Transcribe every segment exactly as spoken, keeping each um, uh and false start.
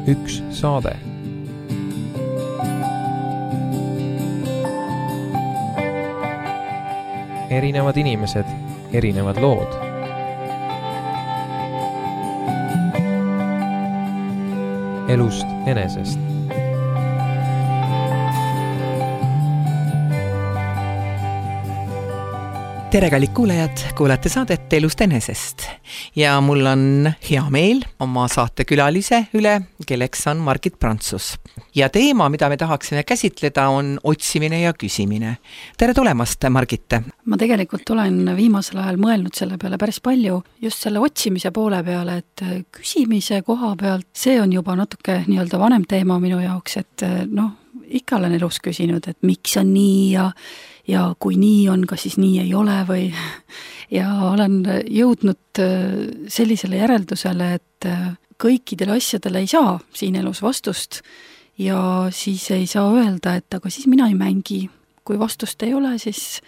üks saade. Erinevad inimesed, erinevad lood. Elust enesest. Tere, kallid kuulajad, kuulate saadet Elust enesest ja mul on hea meel oma saatekülalise üle, kelleks on Margit Prantsus. Ja teema, mida me tahaksime käsitleda, on otsimine ja küsimine. Tere tulemast, Margit! Ma tegelikult olen viimasel ajal mõelnud selle peale päris palju, just selle otsimise poole peale, et küsimise koha pealt, see on juba natuke nii-öelda vanem teema minu jaoks, et noh, ikka olen elus küsinud, et miks on nii ja ja kui nii on, kas siis nii ei ole või ja olen jõudnud sellisele järeldusele, et kõikidele asjadele ei saa siin elus vastust ja siis ei saa öelda, et aga siis mina ei mängi. Kui vastust ei ole, siis,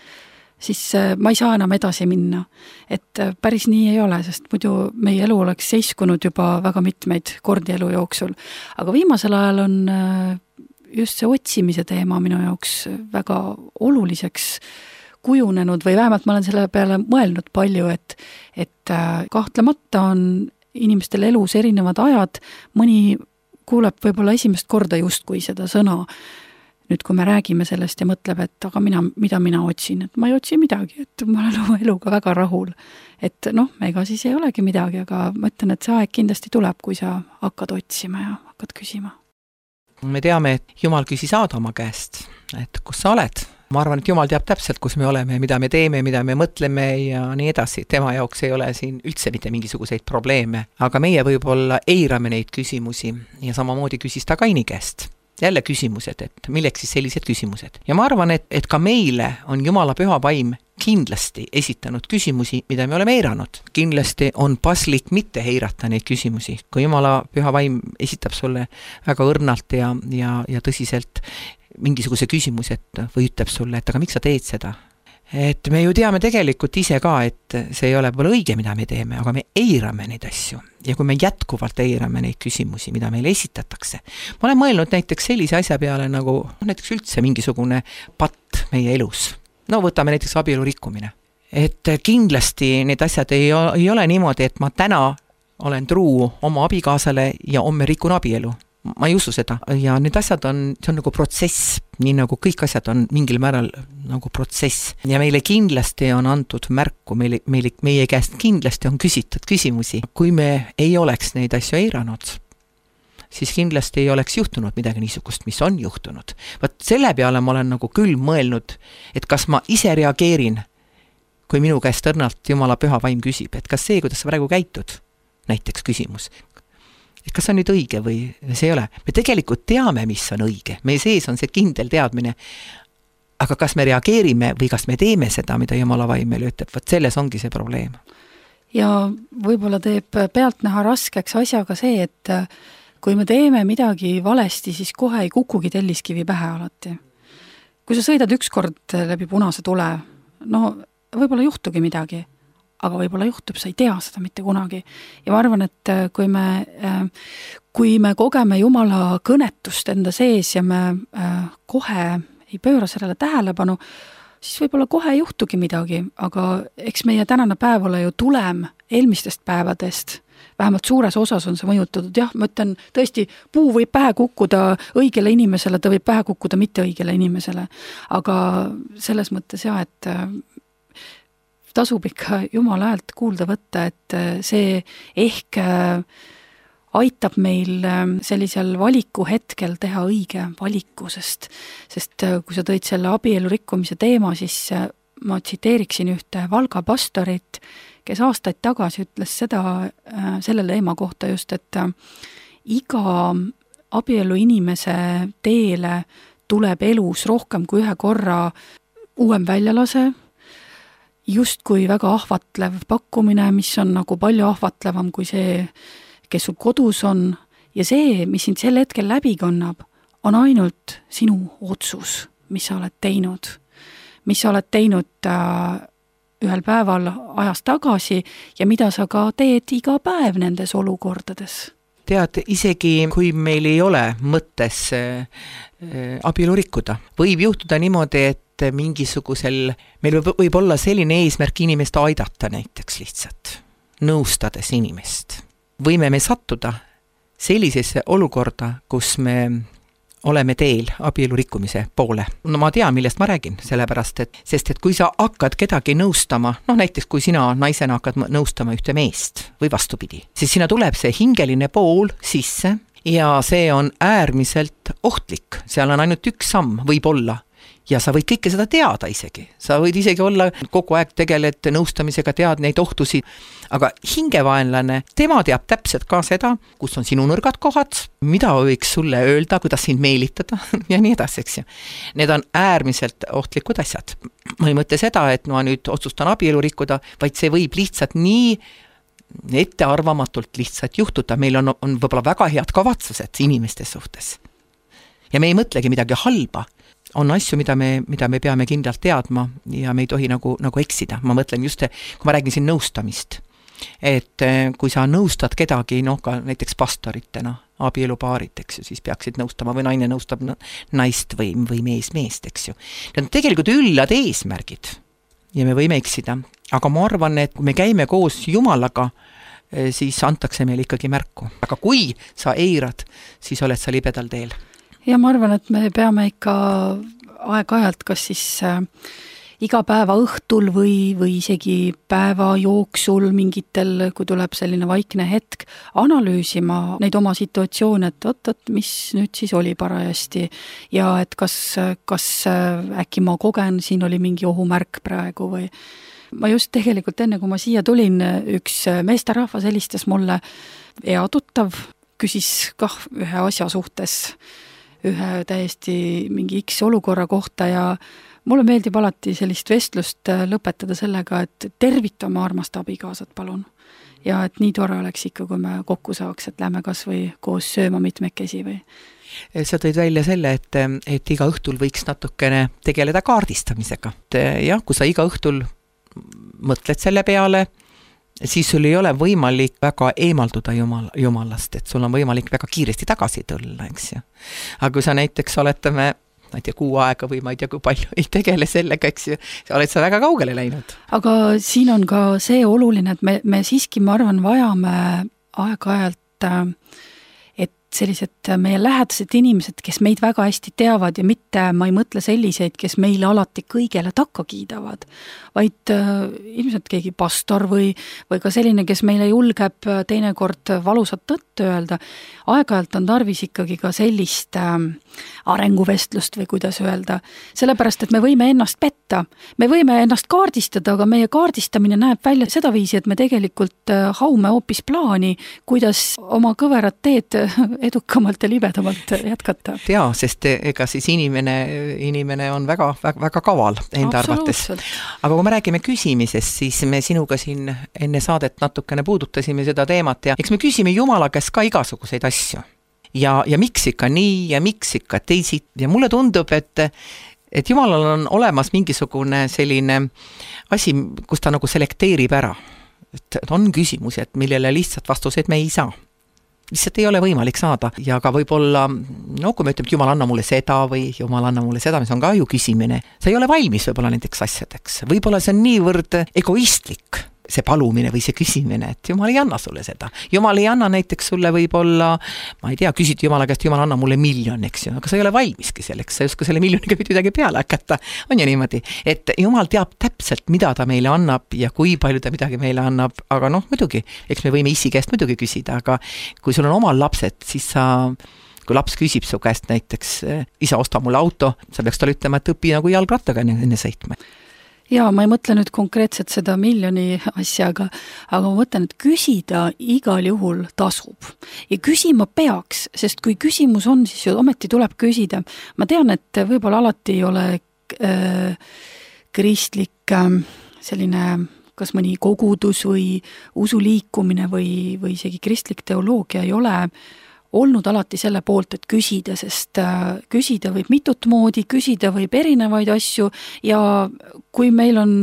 siis ma ei saa enam edasi minna. Et päris nii ei ole, sest muidu meie elu oleks seiskunud juba väga mitmeid kordi elu jooksul. Aga viimasel ajal on just see otsimise teema minu jaoks väga oluliseks kujunenud või vähemalt ma olen selle peale mõelnud palju, et, et kahtlemata on inimestel elus erinevad ajad, mõni kuuleb võib-olla esimest korda justkui seda sõna. Nüüd, kui me räägime sellest ja mõtleb, et aga mina, mida mina otsin, et ma ei otsi midagi, et ma olen oma eluga väga rahul. Et noh, ega siis ei olegi midagi, aga ma ütlen, et see aeg kindlasti tuleb, kui sa hakkad otsima ja hakkad küsima. Me teame, et Jumal küsis Aadama käest, et kus sa oled. Ma arvan, et Jumal teab täpselt, kus me oleme, mida me teeme, mida me mõtleme ja nii edasi. Tema jaoks ei ole siin üldse mitte mingisuguseid probleeme, aga meie võib-olla eirame neid küsimusi ja samamoodi küsis ta Kaini käest. Jälle küsimused, et milleks siis sellised küsimused. Ja ma arvan, et, et ka meile on Jumala püha vaim kindlasti esitanud küsimusi, mida me oleme eiranud. Kindlasti on paslik mitte eirata neid küsimusi. Kui Jumala püha vaim esitab sulle väga õrnalt ja, ja, ja tõsiselt mingisuguse küsimus, et, või ütleb sulle, et aga miks sa teed seda? Et me ju teame tegelikult ise ka, et see ei ole võib-olla õige, mida me teeme, aga me eirame neid asju. Ja kui me jätkuvalt eirame neid küsimusi, mida meile esitatakse. Ma olen mõelnud näiteks sellise asja peale nagu näiteks üldse mingisugune patt meie elus. No võtame näiteks abielu rikkumine. Et kindlasti need asjad ei, ei ole niimoodi, et ma täna olen truu oma abikaasale ja homme rikun abielu. Ma ei usu seda ja need asjad on, see on nagu protsess, nii nagu kõik asjad on mingil määral nagu protsess ja meile kindlasti on antud märku, meile, meile, meie käest kindlasti on küsitud küsimusi. Kui me ei oleks neid asju eiranud, siis kindlasti ei oleks juhtunud midagi niisugust, mis on juhtunud. Vaat selle peale ma olen nagu küll mõelnud, et kas ma ise reageerin, kui minu käest õrnalt Jumala püha vaim küsib, et kas see, kuidas sa praegu käitud, näiteks küsimus, et kas see on nüüd õige või see ei ole. Me tegelikult teame, mis on õige. Meie sees on see kindel teadmine. Aga kas me reageerime või kas me teeme seda, mida Jumala vaim meile ütleb? Võt selles ongi see probleem. Ja võib-olla teeb pealtnäha raskeks asjaga see, et kui me teeme midagi valesti, siis kohe ei kukugi telliskivi pähe alati. Kui sa sõidad ükskord läbi punase tule, no võib-olla juhtugi midagi. Aga võib-olla juhtub, sa ei tea seda mitte kunagi. Ja ma arvan, et kui me, kui me kogeme Jumala kõnetust enda sees ja me kohe ei pööra sellele tähelepanu, siis võib-olla kohe ei juhtugi midagi, aga eks meie tänane päev ole ju tulem eelmistest päevadest. Vähemalt suures osas on see mõjutatud. Jah, ma ütlen, tõesti, puu võib pähe kukkuda õigele inimesele, ta võib pähe kukkuda mitte õigele inimesele. Aga selles mõttes jah, et tasub ikka Jumala häält kuulda võtta, et see ehk aitab meil sellisel valiku hetkel teha õige valiku, sest, sest kui sa tõid selle abielu rikkumise teema, siis ma tsiteeriksin ühte Valga pastorit, kes aastaid tagasi ütles seda selle teema kohta just, et iga abielu inimese teele tuleb elus rohkem kui ühe korra uuem väljalase, just kui väga ahvatlev pakkumine, mis on nagu palju ahvatlevam kui see, kes sul kodus on. Ja see, mis sind sel hetkel läbi kannab, on ainult sinu otsus, mis sa oled teinud. Mis sa oled teinud äh, ühel päeval ajast tagasi ja mida sa ka teed iga päev nendes olukordades. tead, isegi kui meil ei ole mõttes abielu rikkuda, võib juhtuda niimoodi, et mingisugusel, meil võib, võib olla selline eesmärk inimest aidata näiteks lihtsalt, nõustades inimest. Võime me sattuda sellisesse olukorda, kus me oleme teel abielu rikkumise poole. No ma tean, millest ma räägin, sellepärast, et, sest et kui sa hakkad kedagi nõustama, noh näiteks kui sina naisena hakkad nõustama ühte meest või vastupidi, siis sinna tuleb see hingeline pool sisse ja see on äärmiselt ohtlik, seal on ainult üks samm võib-olla ja sa võid kõike seda teada isegi, sa võid isegi olla kogu aeg tegeled nõustamisega, tead neid ohtusid, aga hingevaenlane, tema teab täpselt ka seda, kus on sinu nõrgad kohad, mida võiks sulle öelda, kuidas sind meelitada ja nii edasi, eks ju. Need on äärmiselt ohtlikud asjad. Ma ei mõtle seda, et ma nüüd otsustan abielu rikkuda, vaid see võib lihtsalt nii ettearvamatult lihtsalt juhtuda. Meil on, on võib-olla väga head kavatsused inimeste suhtes. Ja me ei mõtlegi midagi halba. On asju, mida me, mida me peame kindlalt teadma ja me ei tohi nagu, nagu eksida. Ma mõtlen just, kui ma räägin siin nõustamist, et kui sa nõustad kedagi, noh ka näiteks pastoritena, abielupaarid, eks ju, siis peaksid nõustama või naine nõustab naist või, või mees meest, eks ju. Need on tegelikult üllad eesmärgid ja me võime eksida, aga ma arvan, et kui me käime koos Jumalaga, siis antakse meil ikkagi märku. Aga kui sa eirad, siis oled sa libedal teel. Ja ma arvan, et me peame ikka aeg-ajalt kas siis äh, iga päeva õhtul või, või isegi päeva jooksul mingitel, kui tuleb selline vaikne hetk, analüüsima neid oma situatsioone, et oot, oot, mis nüüd siis oli parajasti ja et kas, kas äkki ma kogen, siin oli mingi ohumärk praegu või ma just tegelikult enne, kui ma siia tulin, üks meesterahvas helistas mulle hea tuttav, küsis kah ühe asja suhtes ühe täiesti mingi X olukorra kohta ja mulle meeldib alati sellist vestlust lõpetada sellega, et tervita oma armast abikaasat, palun. Ja et nii tore oleks ikka, kui me kokku saaks, et lähme kas või koos sööma mitmekesi või. Sa tõid välja selle, et, et iga õhtul võiks natukene tegeleda kaardistamisega. Jah, kui sa iga õhtul mõtled selle peale, siis sul ei ole võimalik väga eemalduda jumal, jumalast, et sul on võimalik väga kiiresti tagasi tulla, eks ju. Aga kui sa näiteks oletame, ma ei tea, kuu aega või ma ei tea, kui palju ei tegele sellega, eks ju, oled sa väga kaugele läinud. Aga siin on ka see oluline, et me, me siiski, ma arvan, vajame aeg-ajalt et sellised meie lähedased inimesed, kes meid väga hästi teavad ja mitte, ma ei mõtle selliseid, kes meile alati kõigele takka kiidavad, vaid äh, ilmselt keegi pastor või, või ka selline, kes meile julgeb teinekord valusat tõtt öelda. Aeg-ajalt on tarvis ikkagi ka sellist äh, arenguvestlust või kuidas öelda, sellepärast, et me võime ennast petta. Me võime ennast kaardistada, aga meie kaardistamine näeb välja seda viisi, et me tegelikult äh, haume hoopis plaani, kuidas oma kõverat teed edukamalt ja libedamalt jätkata. Jaa, sest ega siis inimene, inimene on väga, väga, väga kaval enda arvates. Aga kui me räägime küsimisest, siis me sinuga siin enne saadet natukene puudutasime seda teemat ja eks me küsime Jumala käest ka igasuguseid asju. Ja, ja miks ikka nii ja miks ikka teisid. Ja mulle tundub, et, et Jumalal on olemas mingisugune selline asi, kus ta nagu selekteerib ära. Et on küsimusi, et millele lihtsalt vastuseid me ei saa. Lihtsalt ei ole võimalik saada ja ka võib-olla, no kui me ütleme, et Jumal anna mulle seda või Jumal anna mulle seda, mis on ka ju küsimine, sa ei ole valmis võib-olla nendeks asjadeks. Võib-olla see on niivõrd egoistlik, see palumine või see küsimine, et Jumal ei anna sulle seda. Jumal ei anna näiteks sulle võib-olla, ma ei tea, küsid Jumala käest, Jumal anna mulle miljon, eks ju, aga sa ei ole valmiski selleks, sa ei oska selle miljoniga midagi peale hakata. On ju niimoodi, et Jumal teab täpselt, mida ta meile annab ja kui palju ta midagi meile annab, aga noh, muidugi, eks me võime issi käest muidugi küsida, aga kui sul on omal lapsed, siis sa kui laps küsib su käest näiteks, isa osta mulle auto, sa peaks talle ütlema, et õpi nagu jalgrattaga enne sõitma. Jaa, ma ei mõtle nüüd konkreetselt seda miljoni asjaga, aga ma mõtlen, et küsida igal juhul tasub. Ja küsima peaks, sest kui küsimus on, siis ju ometi tuleb küsida. Ma tean, et võib-olla alati ei ole äh, kristlik äh, selline, kas mõni kogudus või usuliikumine või, või isegi kristlik teoloogia ei ole olnud alati selle poolt, et küsida, sest äh, küsida võib mitut moodi, küsida võib erinevaid asju ja kui meil on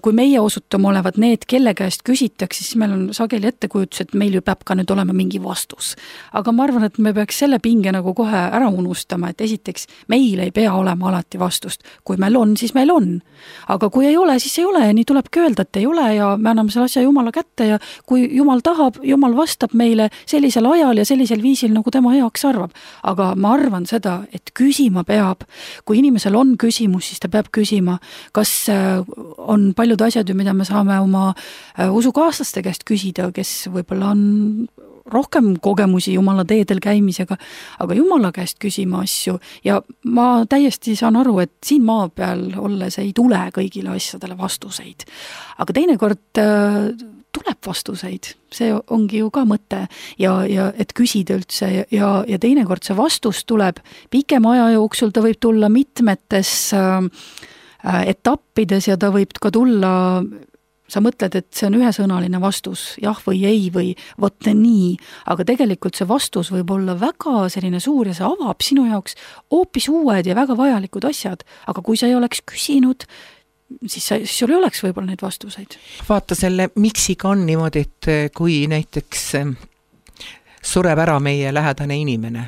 kui meie osutame olevat need, kelle käest küsitakse, siis meil on sageli ettekujutus, et meil ju peab ka nüüd olema mingi vastus. Aga ma arvan, et me peaks selle pinge nagu kohe ära unustama, et esiteks meil ei pea olema alati vastust. Kui meil on, siis meil on. Aga kui ei ole, siis ei ole ja nii tulebki öelda, et ei ole ja me anname selle asja Jumala kätte ja kui Jumal tahab, Jumal vastab meile sellisel ajal ja sellisel viisil, nagu tema heaks arvab. Aga ma arvan seda, et küsima peab. Kui inimesel on küsimus, siis ta peab küsima, kas on paljud asjad, mida me saame oma usukaaslaste käest küsida, kes võib-olla on rohkem kogemusi Jumala teedel käimisega, aga Jumala käest küsima asju ja ma täiesti saan aru, et siin maa peal olles ei tule kõigile asjadele vastuseid. Aga teinekord tuleb vastuseid, see ongi ju ka mõte ja, ja et küsida üldse ja, ja teinekord see vastus tuleb pikema aja jooksul, ta võib tulla mitmetes äh, etappides ja ta võib ka tulla, sa mõtled, et see on ühesõnaline vastus, jah või ei või vot nii, aga tegelikult see vastus võib olla väga selline suur ja see avab sinu jaoks hoopis uued ja väga vajalikud asjad, aga kui sa ei oleks küsinud, siis, sa, siis sul ei oleks võib-olla neid vastuseid. Vaata selle miksiga on niimoodi, et kui näiteks sureb ära meie lähedane inimene,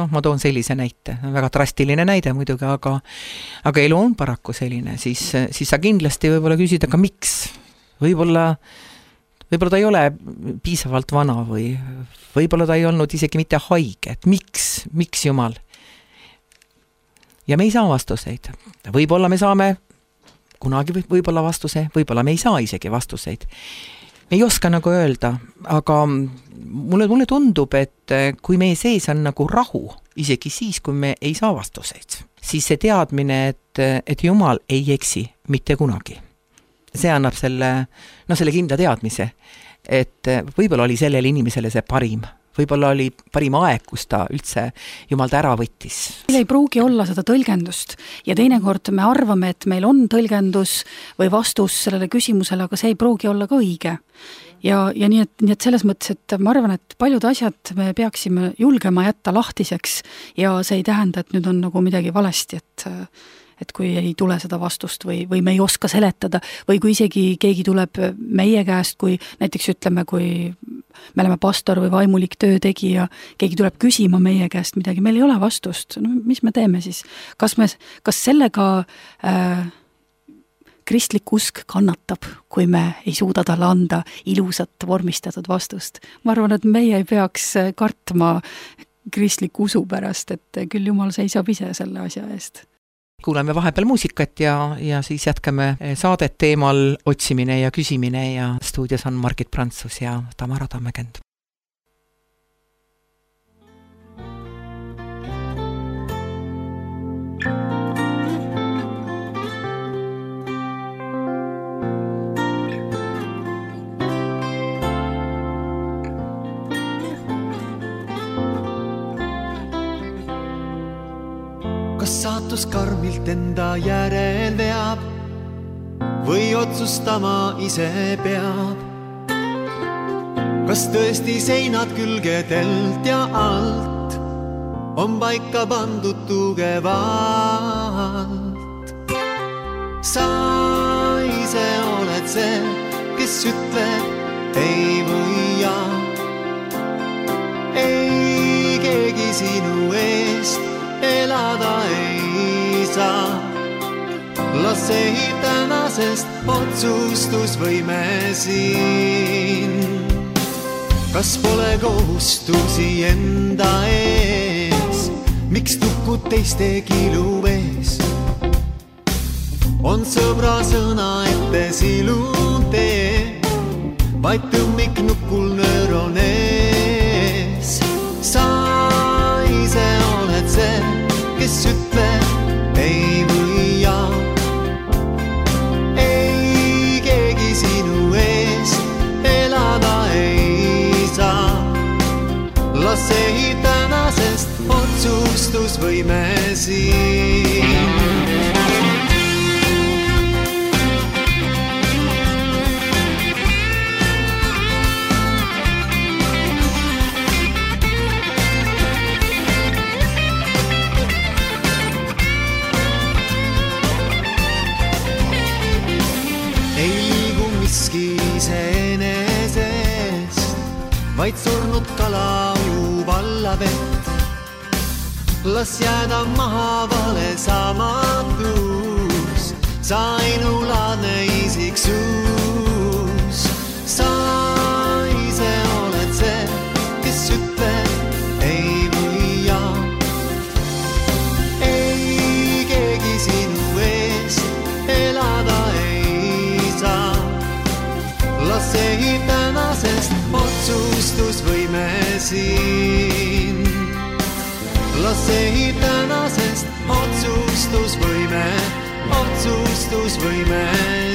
noh, ma toon sellise näite, väga drastiline näide muidugi, aga, aga elu on paraku selline, siis, siis sa kindlasti võib-olla küsid, aga miks? Võib-olla, võib-olla ta ei ole piisavalt vana või võib-olla ta ei olnud isegi mitte haige, et miks, miks Jumal? Ja me ei saa vastuseid. Võib-olla me saame kunagi võib-olla vastuse, võib-olla me ei saa isegi vastuseid. Me ei oska nagu öelda, aga mulle, mulle tundub, et kui meie sees on nagu rahu, isegi siis, kui me ei saa vastuseid, siis see teadmine, et, et Jumal ei eksi mitte kunagi. See annab selle, no selle kindla teadmise, et võib-olla oli sellele inimesele see parim. Võib-olla oli parim aeg, kus ta üldse Jumal ta ära võttis. Meil ei pruugi olla seda tõlgendust ja teinekord me arvame, et meil on tõlgendus või vastus sellele küsimusele, aga see ei pruugi olla ka õige. Ja, ja nii, et, nii et selles mõttes, et ma arvan, et paljud asjad me peaksime julgema jätta lahtiseks ja see ei tähenda, et nüüd on nagu midagi valesti, et et kui ei tule seda vastust või, või me ei oska seletada või kui isegi keegi tuleb meie käest, kui näiteks ütleme, kui me oleme pastor või vaimulik töötegija, keegi tuleb küsima meie käest midagi, meil ei ole vastust, no mis me teeme siis? Kas, me, kas sellega äh, kristlik usk kannatab, kui me ei suuda talle anda ilusat vormistatud vastust? Ma arvan, et meie ei peaks kartma kristlik usu pärast, et küll Jumal seisab ise selle asja eest. Kuuleme vahepeal muusikat ja, ja siis jätkame saadet teemal otsimine ja küsimine ja stuudios on Margit Prantsus ja Tamara Tammekend. Kas saatus karmilt enda järel veab või otsustama ise peab? Kas tõesti seinad külgedelt ja alt on paika pandud tugevalt? Sa ise oled see, kes ütleb ei või jaa. Ei keegi sinu eest elada ei saa. Las ei tänasest otsustusvõime siin. Kas pole kohustusi enda ees? Miks tukud teiste kilu ees? On sõbra sõna ette silun tee, vaid tõmmik nukul nöör on ees. Sa ise oled see, kes ütleb ei või jaa. Ei keegi sinu eest elada ei saa. Las ei tänasest otsustusvõime siin. miski iseenesest, vaid surnud kala ujub alla vett. Las jääda maha vale samatus, sa ainulaadne isiksus. Sa ise oled see, kes ütleb ei või jaa. Ei keegi sinu eest elada ei saa. Las ei tänasest otsustusvõime siin. Las ei tänasest otsustusvõime, otsustusvõime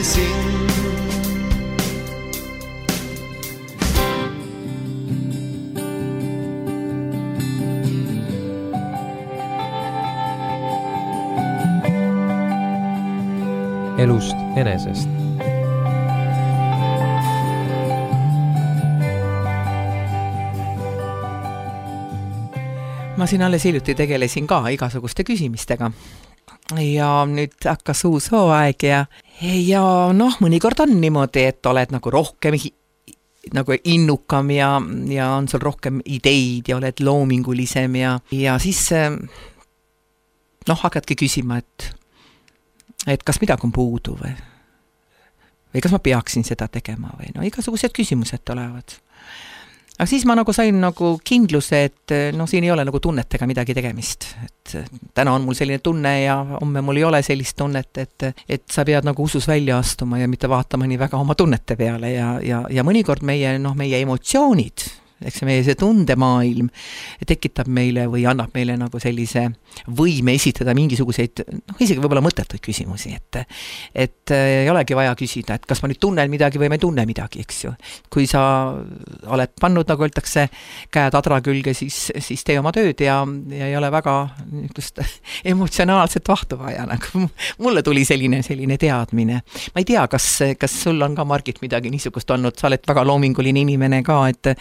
siin. Elust enesest. Ma siin alles hiljuti tegelesin ka igasuguste küsimistega ja nüüd hakkas uus hooaeg ja, ja noh, mõnikord on niimoodi, et oled nagu rohkem nagu innukam ja, ja on sul rohkem ideid ja oled loomingulisem ja, ja siis noh, hakkadki küsima, et et kas midagi on puudu või, või kas ma peaksin seda tegema või no igasugused küsimused tulevad. Aga siis ma nagu sain nagu kindluse, et no siin ei ole nagu tunnetega midagi tegemist. Et täna on mul selline tunne ja homme mul ei ole sellist tunnet, et, et sa pead nagu usus välja astuma ja mitte vaatama nii väga oma tunnete peale ja, ja, ja mõnikord meie, noh, meie emotsioonid, eks meie see tundemaailm tekitab meile või annab meile nagu sellise võime esitada mingisuguseid, noh, isegi võib-olla mõttetuid küsimusi, et, et ei olegi vaja küsida, et kas ma nüüd tunnen midagi või ma ei tunne midagi, eks ju. Kui sa oled pannud, nagu öeldakse, käed adra külge, siis, siis tee oma tööd ja, ja ei ole väga just emotsionaalset vahtu vaja. Nagu mulle tuli selline, selline teadmine. Ma ei tea, kas, kas sul on ka, Margit, midagi niisugust olnud, sa oled väga loominguline inimene ka, et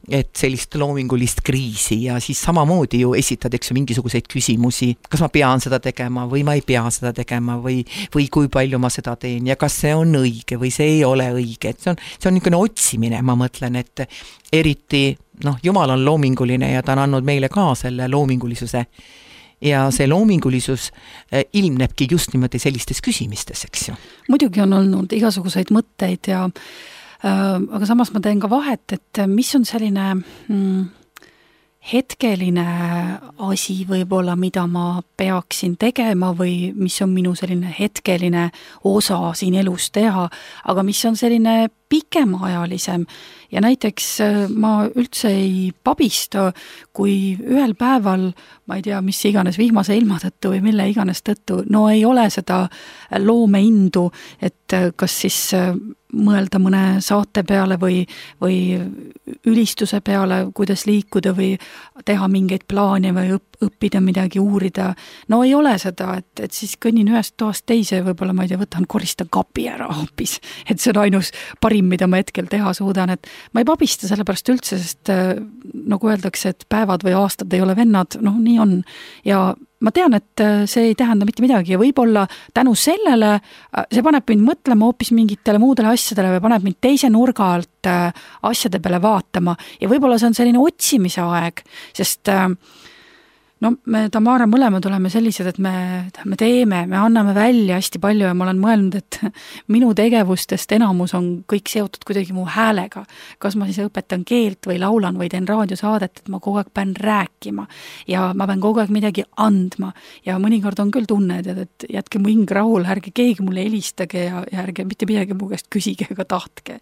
et sellist loomingulist kriisi ja siis samamoodi ju esitad, eks ju, mingisuguseid küsimusi, kas ma pean seda tegema või ma ei pea seda tegema või, või kui palju ma seda teen ja kas see on õige või see ei ole õige, et see on, see on niisugune otsimine, ma mõtlen, et eriti, noh, Jumal on loominguline ja ta on andnud meile ka selle loomingulisuse ja see loomingulisus ilmnebki just niimoodi sellistes küsimistes, eks ju. Muidugi on olnud igasuguseid mõtteid ja aga samas ma teen ka vahet, et mis on selline mm, hetkeline asi võib-olla, mida ma peaksin tegema või mis on minu selline hetkeline osa siin elus teha, aga mis on selline pikemaajalisem ja näiteks ma üldse ei pabista, kui ühel päeval, ma ei tea, mis iganes vihmase ilma tõttu või mille iganes tõttu, no ei ole seda loomeindu, et kas siis mõelda mõne saate peale või, või ülistuse peale, kuidas liikuda või teha mingeid plaane või õpp, õppida midagi, uurida. No ei ole seda, et, et siis kõnnin ühest toast teise, võib-olla ma ei tea, võtan, koristan kapi ära hoopis, et see on ainus parim, mida ma hetkel teha suudan, et ma ei pabista sellepärast üldse, sest nagu öeldakse, et päevad või aastad ei ole vennad, noh, nii on ja ma tean, et see ei tähenda mitte midagi ja võib-olla tänu sellele see paneb mind mõtlema hoopis mingitele muudele asjadele või paneb mind teise nurga alt asjade peale vaatama ja võib-olla see on selline otsimise aeg, sest no me Tamara mõlemad oleme sellised, et me, me teeme, me anname välja hästi palju ja ma olen mõelnud, et minu tegevustest enamus on kõik seotud kuidagi mu häälega. Kas ma siis õpetan keelt või laulan või teen raadiosaadet, et ma kogu aeg pean rääkima ja ma pean kogu aeg midagi andma ja mõnikord on küll tunne, et, et jätke mu hing rahul, ärge keegi mulle helistage ja, ja ärge mitte midagi mu käest küsige ega tahtke.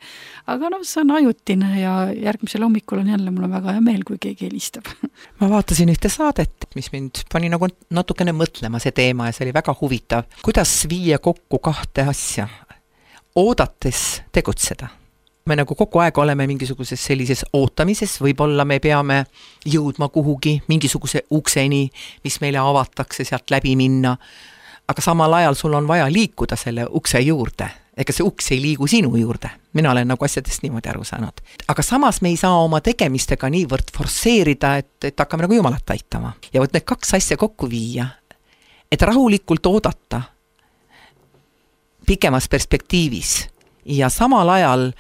Aga noh, see on ajutine ja järgmisel hommikul on jälle mul on väga hea meel, kui keegi helistab. Ma vaatasin ühte saadet, mis mind pani nagu natukene mõtlema see teema ja see oli väga huvitav. Kuidas viia kokku kahte asja? Oodates tegutseda. Me nagu kogu aeg oleme mingisuguses sellises ootamises, võib-olla me peame jõudma kuhugi mingisuguse ukseni, mis meile avatakse, sealt läbi minna, aga samal ajal sul on vaja liikuda selle ukse juurde. Ega see uks ei liigu sinu juurde. Mina olen nagu asjadest niimoodi aru saanud. Aga samas me ei saa oma tegemistega niivõrd forseerida, et, et hakkame nagu Jumalat aitama. Ja võt need kaks asja kokku viia, et rahulikult oodata pikemas perspektiivis ja samal ajal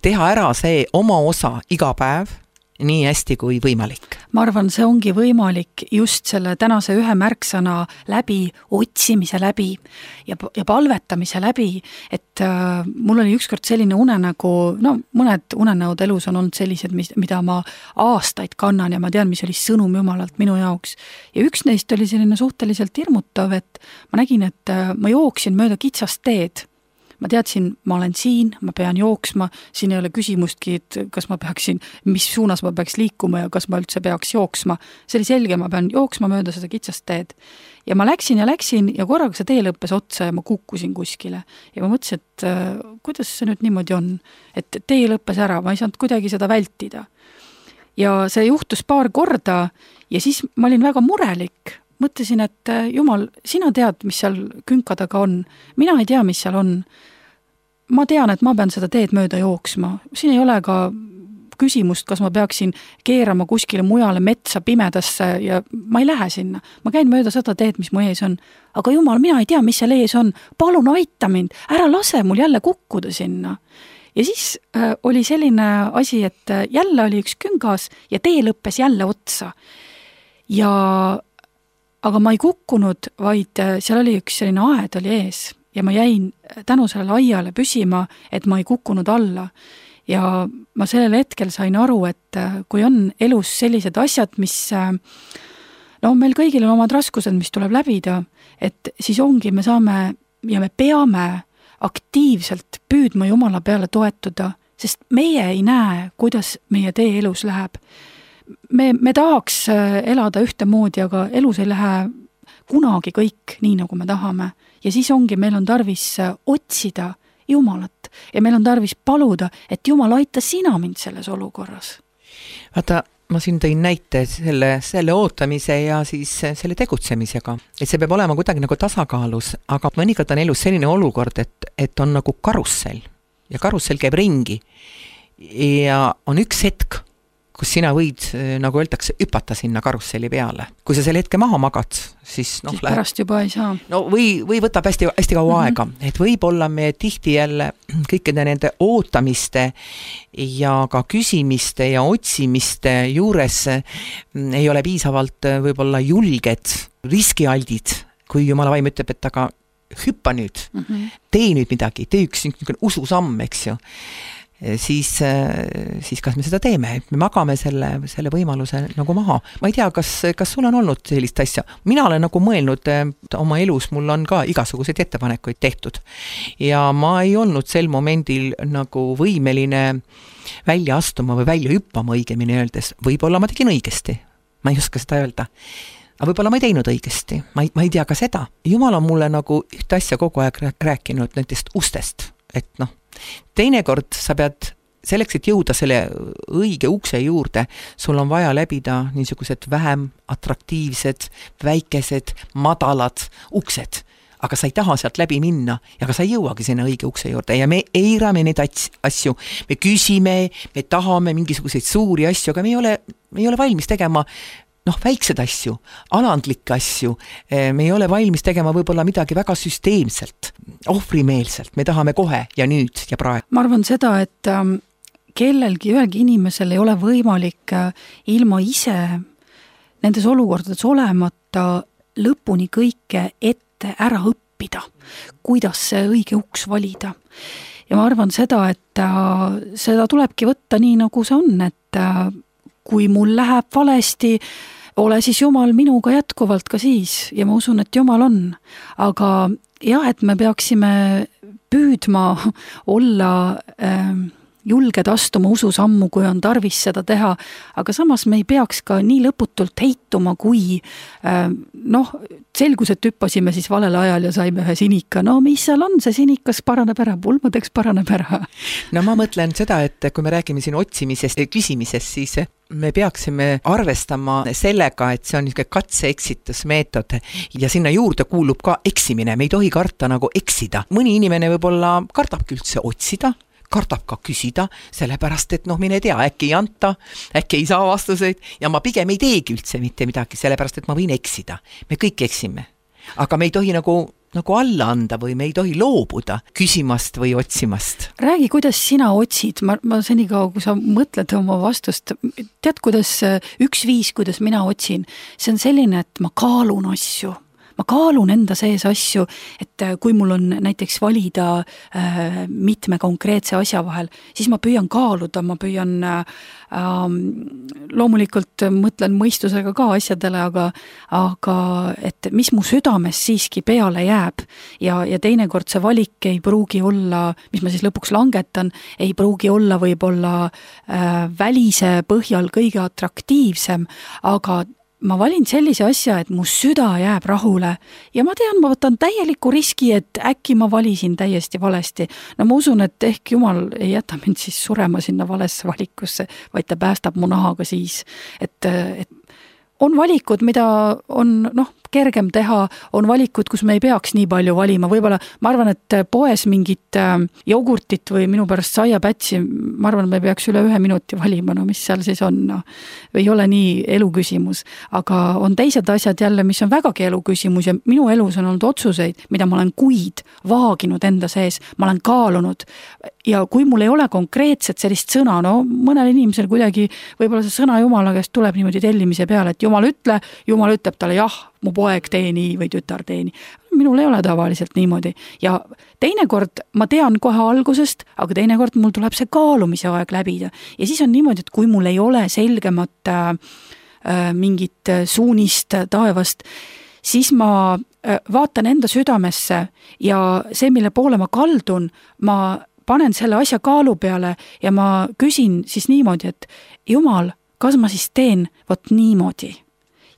teha ära see oma osa iga päev nii hästi kui võimalik. Ma arvan, see ongi võimalik just selle tänase ühe märksõna läbi, otsimise läbi ja, ja palvetamise läbi, et äh, mul oli ükskord selline unenägu, no mõned unenäod elus on olnud sellised, mis, mida ma aastaid kannan ja ma tean, mis oli sõnum Jumalalt minu jaoks. Ja üks neist oli selline suhteliselt hirmutav, et ma nägin, et äh, ma jooksin mööda kitsast teed. Ma teadsin, ma olen siin, ma pean jooksma, siin ei ole küsimustki, et kas ma peaksin, mis suunas ma peaks liikuma ja kas ma üldse peaks jooksma. See oli selge, ma pean jooksma mööda seda kitsast teed. Ja ma läksin ja läksin ja korraga see tee lõppes otsa ja ma kukkusin kuskile. Ja ma mõtlesin, et äh, kuidas see nüüd niimoodi on, et tee lõppes ära, ma ei saanud kuidagi seda vältida. Ja see juhtus paar korda ja siis ma olin väga murelik. Mõtlesin, et Jumal, sina tead, mis seal künka taga on. Mina ei tea, mis seal on. Ma tean, et ma pean seda teed mööda jooksma. Siin ei ole ka küsimust, kas ma peaksin keerama kuskile mujale metsa pimedasse ja ma ei lähe sinna. Ma käin mööda seda teed, mis mu ees on. Aga Jumal, mina ei tea, mis seal ees on. Palun aita mind. Ära lase mul jälle kukkuda sinna. Ja siis äh, oli selline asi, et jälle oli üks küngas ja tee lõppes jälle otsa. Ja aga ma ei kukkunud, vaid seal oli üks selline aed oli ees ja ma jäin tänu sellele aiale püsima, et ma ei kukkunud alla. Ja ma sellel hetkel sain aru, et kui on elus sellised asjad, mis no meil kõigil on omad raskused, mis tuleb läbida, et siis ongi, me saame ja me peame aktiivselt püüdma Jumala peale toetuda, sest meie ei näe, kuidas meie tee elus läheb. Me, me tahaks elada ühte moodi, aga elus ei lähe kunagi kõik nii, nagu me tahame. Ja siis ongi, meil on tarvis otsida Jumalat ja meil on tarvis paluda, et Jumal aita sina mind selles olukorras. Vaata, ma siin tõin näite selle, selle ootamise ja siis selle tegutsemisega. Et see peab olema kuidagi nagu tasakaalus, aga mõnikord on elus selline olukord, et, et on nagu karussell ja karussell käib ringi ja on üks hetk, kus sina võid, nagu öeldakse, hüpata sinna karusselli peale. Kui sa selle hetke maha magad, siis noh, siis pärast juba ei saa. No või, või võtab hästi, hästi kaua mm-hmm. aega. Et võib-olla me tihti jälle kõikide nende ootamiste ja ka küsimiste ja otsimiste juures ei ole piisavalt võib-olla julged, riskialdid, kui Jumala vaim ütleb, et aga hüppa nüüd, mm-hmm. tee nüüd midagi, tee üks ususamm, eks ju. Siis, siis kas me seda teeme, et me magame selle, selle võimaluse nagu maha. Ma ei tea, kas, kas sul on olnud sellist asja. Mina olen nagu mõelnud oma elus, mul on ka igasuguseid ettepanekuid tehtud. Ja ma ei olnud sel momendil nagu võimeline välja astuma või välja hüppama õigemini öeldes. Võib-olla ma tegin õigesti. Ma ei oska seda öelda. Aga võib-olla ma ei teinud õigesti. Ma ei, ma ei tea ka seda. Jumal on mulle nagu ühte asja kogu aeg rääkinud nendest ustest. Et noh, teinekord sa pead selleks, et jõuda selle õige ukse juurde, sul on vaja läbida niisugused vähem atraktiivsed, väikesed, madalad uksed. Aga sa ei taha sealt läbi minna ja ka sa ei jõuagi sinna õige ukse juurde ja me eirame neid asju. Me küsime, me tahame mingisuguseid suuri asju, aga me ei ole, me ei ole valmis tegema noh, väiksed asju, alandlikke asju, me ei ole valmis tegema võib-olla midagi väga süsteemselt, ohvrimeelselt, me tahame kohe ja nüüd ja praegu. Ma arvan seda, et kellelgi, ühelgi inimesel ei ole võimalik ilma ise nendes olukordades olemata lõpuni kõike ette ära õppida, kuidas see õige uks valida. Ja ma arvan seda, et seda tulebki võtta nii, nagu see on, et kui mul läheb valesti, ole siis Jumal minuga jätkuvalt ka siis ja ma usun, et Jumal on. Aga jah, et me peaksime püüdma olla äh, julged astuma ususammu, kui on tarvis seda teha, aga samas me ei peaks ka nii lõputult heituma, kui äh, noh, selgus, et hüppasime siis valel ajal ja saime ühe sinika. No mis seal on, see sinikas paraneb ära, pulmadeks paraneb ära. No ma mõtlen seda, et kui me räägime siin otsimisest ja küsimisest, siis me peaksime arvestama sellega, et see on niisugune katse-eksitusmeetod ja sinna juurde kuulub ka eksimine. Me ei tohi karta nagu eksida. Mõni inimene võib-olla kardabki üldse otsida, kardab ka küsida, sellepärast, et noh, mine tea, äkki ei anta, äkki ei saa vastuseid ja ma pigem ei teegi üldse mitte midagi, sellepärast, et ma võin eksida. Me kõik eksime. Aga me ei tohi nagu nagu alla anda või me ei tohi loobuda küsimast või otsimast. Räägi, kuidas sina otsid, ma, ma senikaua, kui sa mõtled oma vastust, tead, kuidas üks viis, kuidas mina otsin, see on selline, et ma kaalun asju. Ma kaalun enda sees asju, et kui mul on näiteks valida äh, mitme konkreetse asja vahel, siis ma püüan kaaluda, ma püüan äh, loomulikult mõtlen mõistusega ka asjadele, aga, aga et mis mu südames siiski peale jääb ja, ja teinekord see valik ei pruugi olla, mis ma siis lõpuks langetan, ei pruugi olla võib-olla äh, välise põhjal kõige atraktiivsem, aga ma valin sellise asja, et mu süda jääb rahule ja ma tean, ma võtan täieliku riski, et äkki ma valisin täiesti valesti. No ma usun, et ehk Jumal ei jäta mind siis surema sinna valesse valikusse, vaid ta päästab mu nahaga siis, et, et on valikud, mida on noh, kergem teha, on valikud, kus me ei peaks nii palju valima, võib-olla ma arvan, et poes mingit jogurtit või minu pärast saiapätsi, ma arvan, et me peaks üle ühe minuti valima, no mis seal siis on, no ei ole nii elu küsimus, aga on teised asjad jälle, mis on vägagi elu küsimus ja minu elus on olnud otsuseid, mida ma olen kuid vaaginud enda sees, ma olen kaalunud ja kui mul ei ole konkreetset sellist sõna, no mõnel inimesel kuidagi võib-olla see sõna Jumala käest tuleb niimoodi tellimise peale, et Jumal ütle, Jumal ütleb talle jah, mu poeg tee nii või tütar tee nii. Minul ei ole tavaliselt niimoodi ja teinekord ma tean kohe algusest, aga teinekord mul tuleb see kaalumise aeg läbida ja siis on niimoodi, et kui mul ei ole selgemat äh, mingit suunist taevast, siis ma äh, vaatan enda südamesse ja see, mille poole ma kaldun, ma panen selle asja kaalu peale ja ma küsin siis niimoodi, et Jumal, kas ma siis teen vot niimoodi?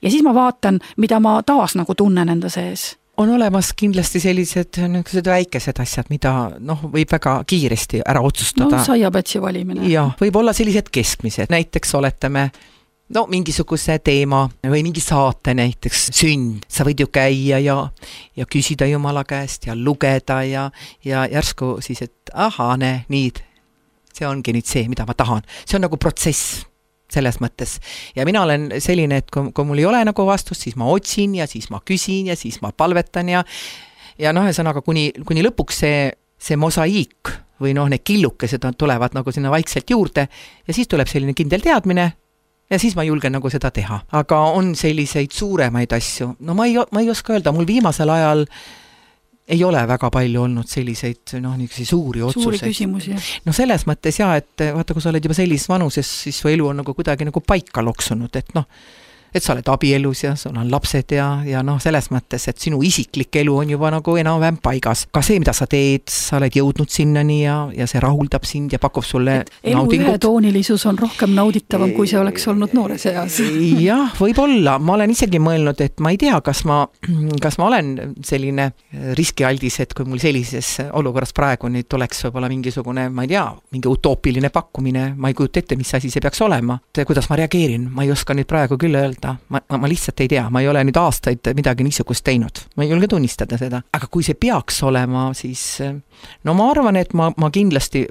Ja siis ma vaatan, mida ma taas nagu tunnen enda sees. On olemas kindlasti sellised niisugused väikesed asjad, mida noh, võib väga kiiresti ära otsustada. No saiapätsi valimine. Ja, võib olla sellised keskmised. Näiteks oletame no mingisuguse teema või mingi saate näiteks sünd. Sa võid ju käia ja, ja küsida Jumala käest ja lugeda ja, ja järsku siis, et aha, ne, nii, see ongi nüüd see, mida ma tahan. See on nagu protsess selles mõttes. Ja mina olen selline, et kui, kui mul ei ole nagu vastust, siis ma otsin ja siis ma küsin ja siis ma palvetan ja ja noh, ühesõnaga kuni, kuni lõpuks see, see mosaiik või noh, need killukesed tulevad nagu sinna vaikselt juurde ja siis tuleb selline kindel teadmine ja siis ma julgen nagu seda teha. Aga on selliseid suuremaid asju. No ma ei, ma ei oska öelda, mul viimasel ajal ei ole väga palju olnud selliseid noh, niisuguseid suuri otsuseid. Suuri küsimusi. No selles mõttes jah, et vaata, kui sa oled juba sellises vanuses, siis su elu on nagu kuidagi nagu paika loksunud, et noh, et sa oled abielus ja sul on lapsed ja, ja noh, selles mõttes, et sinu isiklik elu on juba nagu enam-vähem paigas. Ka see, mida sa teed, sa oled jõudnud sinnani ja, ja see rahuldab sind ja pakub sulle et elu naudingut. Ühetoonilisus on rohkem nauditavam, kui see oleks olnud noore seas. Jah, võib-olla. Ma olen isegi mõelnud, et ma ei tea, kas ma, kas ma olen selline riskialdis, et kui mul sellises olukorras praegu nüüd tuleks võib-olla mingisugune, ma ei tea, mingi utoopiline pakkumine, ma ei kujuta ette, mis asi see peaks olema. Kuidas ma reageerin? Ma ei oska nüüd praegu küll öelda. Ma, ma, ma lihtsalt ei tea, ma ei ole nüüd aastaid midagi niisugust teinud. Ma ei julge tunnistada seda. Aga kui see peaks olema, siis no ma arvan, et ma, ma kindlasti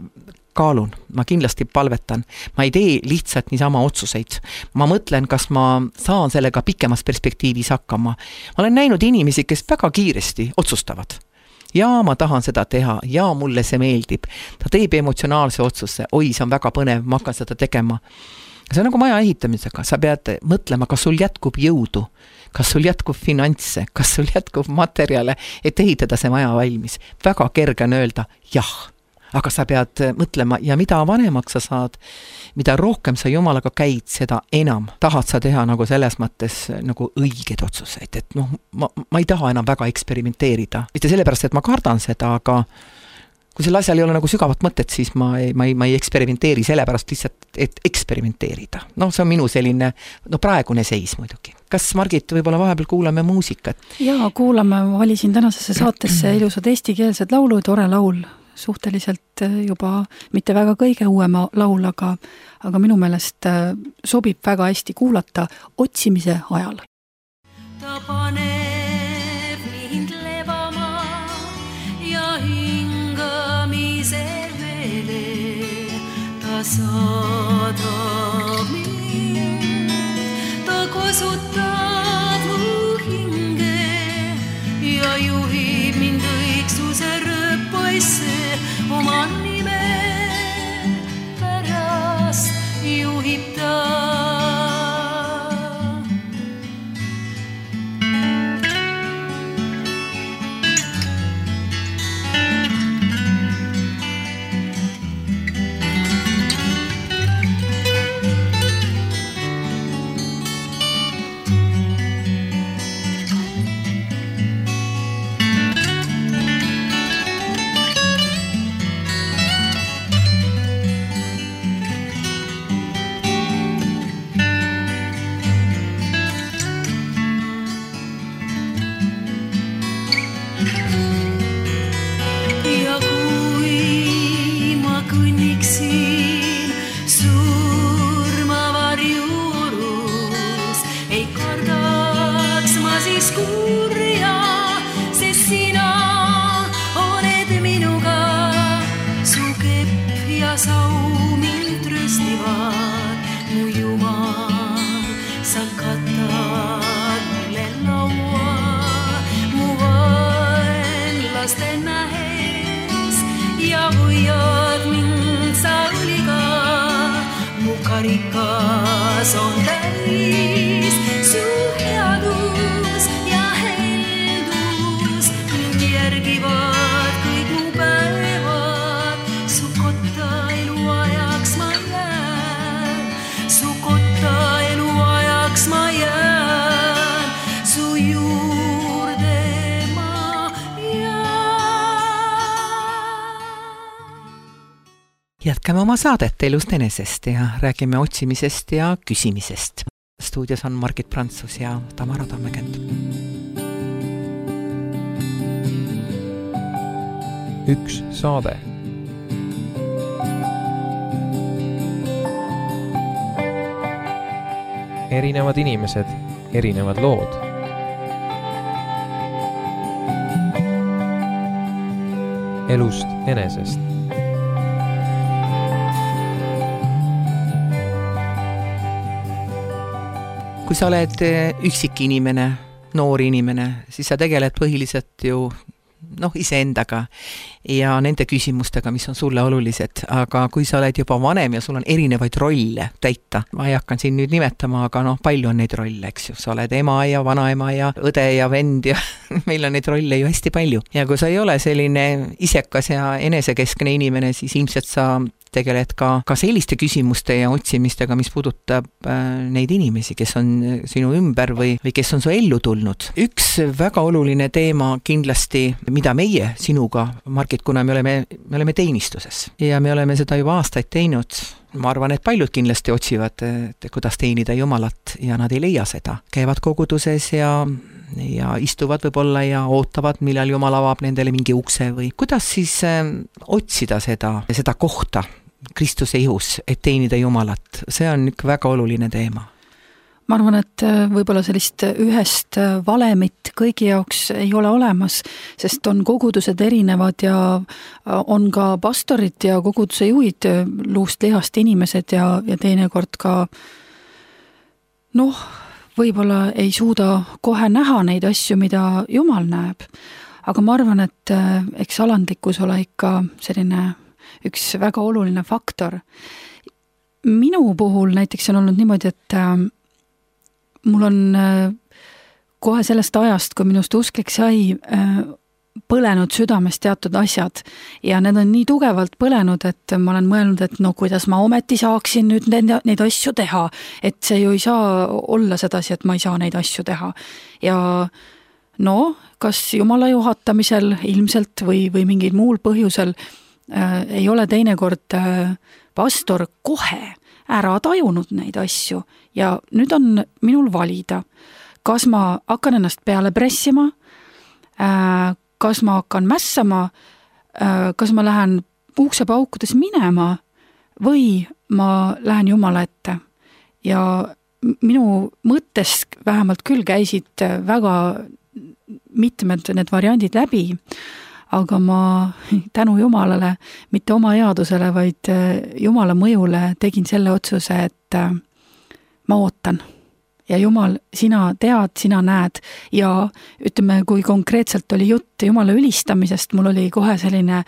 kaalun, ma kindlasti palvetan. Ma ei tee lihtsalt niisama otsuseid. Ma mõtlen, kas ma saan sellega pikemas perspektiivis hakkama. Ma olen näinud inimesi, kes väga kiiresti otsustavad. Ja ma tahan seda teha, ja mulle see meeldib. Ta teeb emotsionaalse otsuse, oi, see on väga põnev, ma hakkan seda tegema. See on nagu maja ehitamisega, sa pead mõtlema, kas sul jätkub jõudu, kas sul jätkub finantse, kas sul jätkub materjale, et ehitada see maja valmis. Väga kerge on öelda jah, aga sa pead mõtlema ja mida vanemaks sa saad, mida rohkem sa Jumalaga käid, seda enam tahad sa teha nagu selles mõttes nagu õiged otsuseid, et noh, ma, ma ei taha enam väga eksperimenteerida. Mitte sellepärast, et ma kardan seda, aga kui selle asjal ei ole nagu sügavat mõtet, siis ma ei, ma ei, ma ei eksperimenteeri sellepärast lihtsalt, et eksperimenteerida. No see on minu selline, no praegune seis muidugi. Kas Margit, võib-olla vahepeal kuulame muusikat? Jaa, kuulame, ma valisin tänasesse saatesse ilusad eestikeelsed laulu, tore laul, suhteliselt juba mitte väga kõige uuema laul, aga, aga minu meelest sobib väga hästi kuulata otsimise ajal. Ta paneb mind levama ja hingamise vele, ta saadab mind, ta kosutab mu hinge ja juhib kõnniksin surma varjuurus, ei kardaks ma siis kurja, sest sina oled minuga, su kepp ja sau mind tröstivad, mu Jumal, sa katad mulle laua, mu vaenlaste nähes ja hoiad mind sa õliga, mu karikas on täis su headus ja heldus, mind järgivad kõik mu päevad, su kotta eluajaks ma jään, su kotta eluajaks ma jään, su juurde ma jään. Jätkame oma saadet Elust enesest ja räägime otsimisest ja küsimisest. Stuudios on Margit Prantsus ja Tamara Tammekend. Üks saade. Erinevad inimesed, erinevad lood. Elust enesest. Kui sa oled üksik inimene, noor inimene, siis sa tegeled põhiliselt ju noh, iseendaga ja nende küsimustega, mis on sulle olulised, aga kui sa oled juba vanem ja sul on erinevaid rolle täita, ma ei hakkan siin nüüd nimetama, aga noh, palju on neid rolle, eks ju, sa oled ema ja vanaema ja õde ja vend ja meil on neid rolle ju hästi palju. Ja kui sa ei ole selline isekas ja enesekeskne inimene, siis ilmselt sa tegeled ka, ka selliste küsimuste ja otsimistega, mis puudutab äh, neid inimesi, kes on sinu ümber või, või kes on su ellu tulnud. Üks väga oluline teema kindlasti, mida meie sinuga, Margit, kuna me oleme, me oleme teenistuses ja me oleme seda juba aastaid teinud, ma arvan, et paljud kindlasti otsivad, et kuidas teenida Jumalat ja nad ei leia seda. Käivad koguduses ja ja istuvad võib-olla ja ootavad, millal Jumal avab nendele mingi ukse või kuidas siis äh, otsida seda, seda kohta Kristuse ihus, et teenida Jumalat. See on üks väga oluline teema. Ma arvan, et võib-olla sellist ühest valemit kõigi jaoks ei ole olemas, sest on kogudused erinevad ja on ka pastorid ja koguduse juhid luust lihast inimesed ja, ja teinekord ka noh, võib-olla ei suuda kohe näha neid asju, mida Jumal näeb. Aga ma arvan, et eks alandlikkus ole ikka selline üks väga oluline faktor. Minu puhul näiteks on olnud niimoodi, et mul on kohe sellest ajast, kui minust usklik sai, põlenud südames teatud asjad ja need on nii tugevalt põlenud, et ma olen mõelnud, et no kuidas ma ometi saaksin nüüd neid, neid asju teha, et see ju ei saa olla sedasi, et ma ei saa neid asju teha. Ja no, kas Jumala juhatamisel ilmselt või, või mingil muul põhjusel äh, ei ole teinekord äh, pastor kohe ära tajunud neid asju ja nüüd on minul valida, kas ma hakkan ennast peale pressima, äh, kas ma hakkan mässama, kas ma lähen uksepaukudes minema või ma lähen Jumala ette. Ja minu mõttes vähemalt küll käisid väga mitmed need variandid läbi, aga ma tänu Jumalale, mitte oma headusele, vaid Jumala mõjule tegin selle otsuse, et ma ootan. Ja Jumal, sina tead, sina näed ja ütleme, kui konkreetselt oli jutt Jumala ülistamisest, mul oli kohe selline,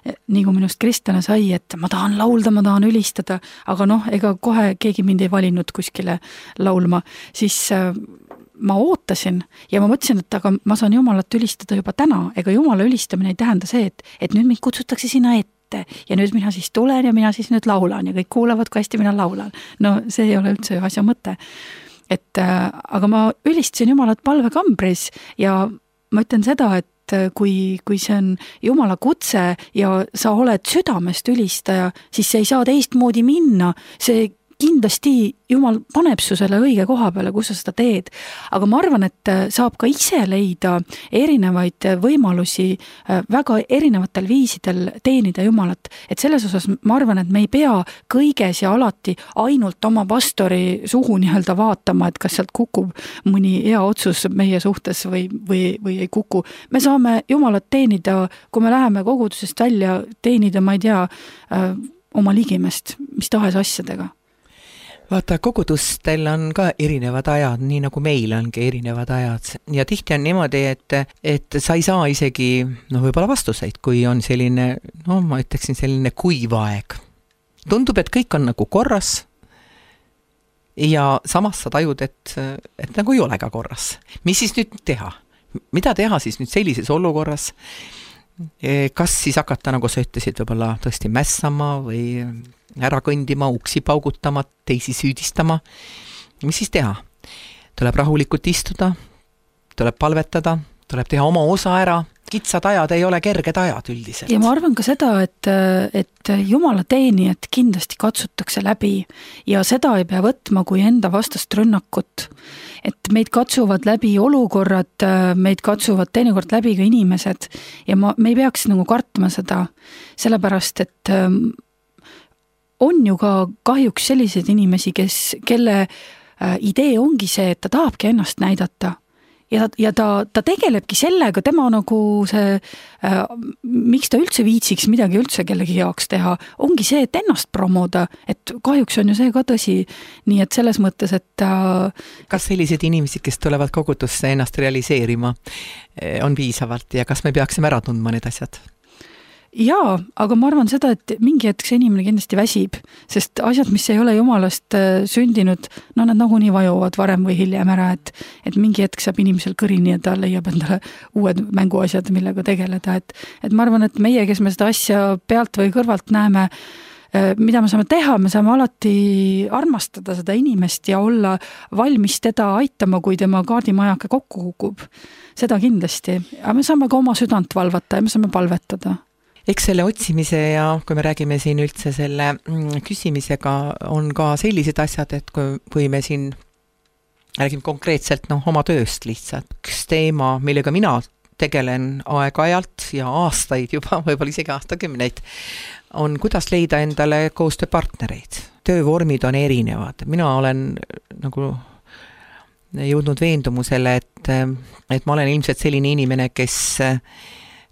nii kui minust kristlane sai, et ma tahan laulda, ma tahan ülistada, aga noh, ega kohe keegi mind ei valinud kuskile laulma, siis ma ootasin ja ma mõtlesin, et aga ma saan Jumalat ülistada juba täna, ega Jumala ülistamine ei tähenda see, et, et nüüd mind kutsutakse sinna ette ja nüüd mina siis tulen ja mina siis nüüd laulan ja kõik kuulavad, kui hästi mina laulan. No see ei ole üldse asja mõte. Et, aga ma ülistasin Jumalat palvekambris ja ma ütlen seda, et kui, kui see on Jumala kutse ja sa oled südamest ülistaja, siis see ei saa teistmoodi minna. See kindlasti Jumal paneb su selle õige koha peale, kus sa seda teed. Aga ma arvan, et saab ka ise leida erinevaid võimalusi väga erinevatel viisidel teenida Jumalat. Et selles osas ma arvan, et me ei pea kõiges ja alati ainult oma pastori suhu nii-öelda vaatama, et kas sealt kukub mõni hea otsus meie suhtes või, või, või ei kuku. Me saame Jumalat teenida, kui me läheme kogudusest välja, teenida, ma ei tea, oma ligimest, mis tahes asjadega. Vaata, kogudustel on ka erinevad ajad, nii nagu meil ongi erinevad ajad. Ja tihti on niimoodi, et, et sa ei saa isegi, no võib-olla vastuseid, kui on selline, no ma ütleksin selline kuiv aeg. Tundub, et kõik on nagu korras ja samas sa tajud, et, et nagu ei ole ka korras. Mis siis nüüd teha? Mida teha siis nüüd sellises olukorras? Kas siis hakata, nagu sa ütlesid, võib-olla tõesti mässama või ära kõndima, uksi paugutama, teisi süüdistama. Mis siis teha? Tuleb rahulikult istuda, tuleb palvetada, tuleb teha oma osa ära. Kitsad ajad ei ole kerged ajad üldiselt. Ja ma arvan ka seda, et, et Jumala teenijad kindlasti katsutakse läbi ja seda ei pea võtma kui enda vastast rünnakut. Et meid katsuvad läbi olukorrad, meid katsuvad teinekord läbi ka inimesed ja ma, me ei peaks nagu kartma seda, sellepärast, et on ju ka kahjuks sellised inimesi, kes, kelle idee ongi see, et ta tahabki ennast näidata. Ja, ja ta, ta tegelebki sellega, tema nagu see, äh, miks ta üldse viitsiks midagi üldse kellegi jaoks teha, ongi see, et ennast promoda, et kahjuks on ju see ka tõsi. Nii et selles mõttes, et ta... Kas sellised inimesed, kes tulevad kogudusse ennast realiseerima, on piisavalt ja kas me peaksime ära tundma need asjad? Jaa, aga ma arvan seda, et mingi hetk see inimene kindlasti väsib, sest asjad, mis ei ole Jumalast sündinud, no nad nagunii vajuvad varem või hiljem ära, et, et mingi hetk saab inimesel kõrini ja ta leiab endale uued mänguasjad, millega tegeleda. Et, et ma arvan, et meie, kes me seda asja pealt või kõrvalt näeme, mida me saame teha, me saame alati armastada seda inimest ja olla valmis teda aitama, kui tema kaardimajake kokku kukub. Seda kindlasti. Aga me saame ka oma südant valvata ja me saame palvetada. Eks selle otsimise ja kui me räägime siin üldse selle küsimisega on ka sellised asjad, et kui, kui me siin räägime konkreetselt no, oma tööst lihtsalt. Üks teema, millega mina tegelen aeg-ajalt ja aastaid juba, võib-olla isegi aastakümneid, on kuidas leida endale koostööpartnereid. Töövormid on erinevad. Mina olen nagu jõudnud veendumusele, et, et ma olen ilmselt selline inimene, kes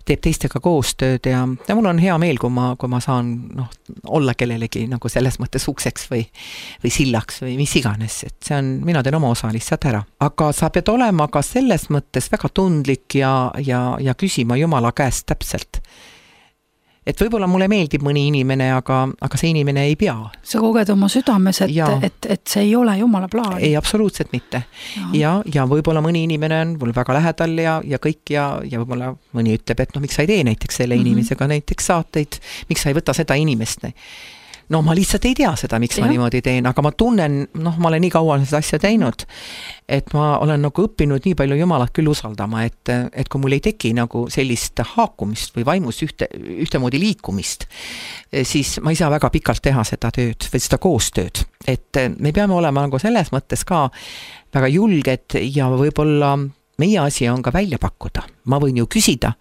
teeb teistega koostööd ja, ja mul on hea meel, kui ma, kui ma saan noh, olla kellelegi nagu selles mõttes ukseks või, või sillaks või mis iganes, et see on, mina teen oma osa lihtsalt ära. Aga sa pead olema ka selles mõttes väga tundlik ja, ja, ja küsima Jumala käest täpselt. Et võib-olla mulle meeldib mõni inimene, aga, aga see inimene ei pea. Sa koged oma südames, et, et, et see ei ole Jumala plaan. Ei, absoluutselt mitte. Ja, ja, ja võib-olla mõni inimene on mul väga lähedal ja, ja kõik ja, ja võib-olla mõni ütleb, et no miks sa ei tee näiteks selle mm-hmm. inimesega näiteks saateid, miks sa ei võta seda inimest. No ma lihtsalt ei tea seda, miks ja. ma niimoodi teen, aga ma tunnen, noh, ma olen nii kaua seda asja teinud, et ma olen nagu õppinud nii palju Jumalat küll usaldama, et, et kui mul ei teki nagu sellist haakumist või vaimus ühte, ühtemoodi liikumist, siis ma ei saa väga pikalt teha seda tööd või seda koostööd. Et me peame olema nagu selles mõttes ka väga julged ja võib-olla meie asi on ka välja pakkuda. Ma võin ju küsida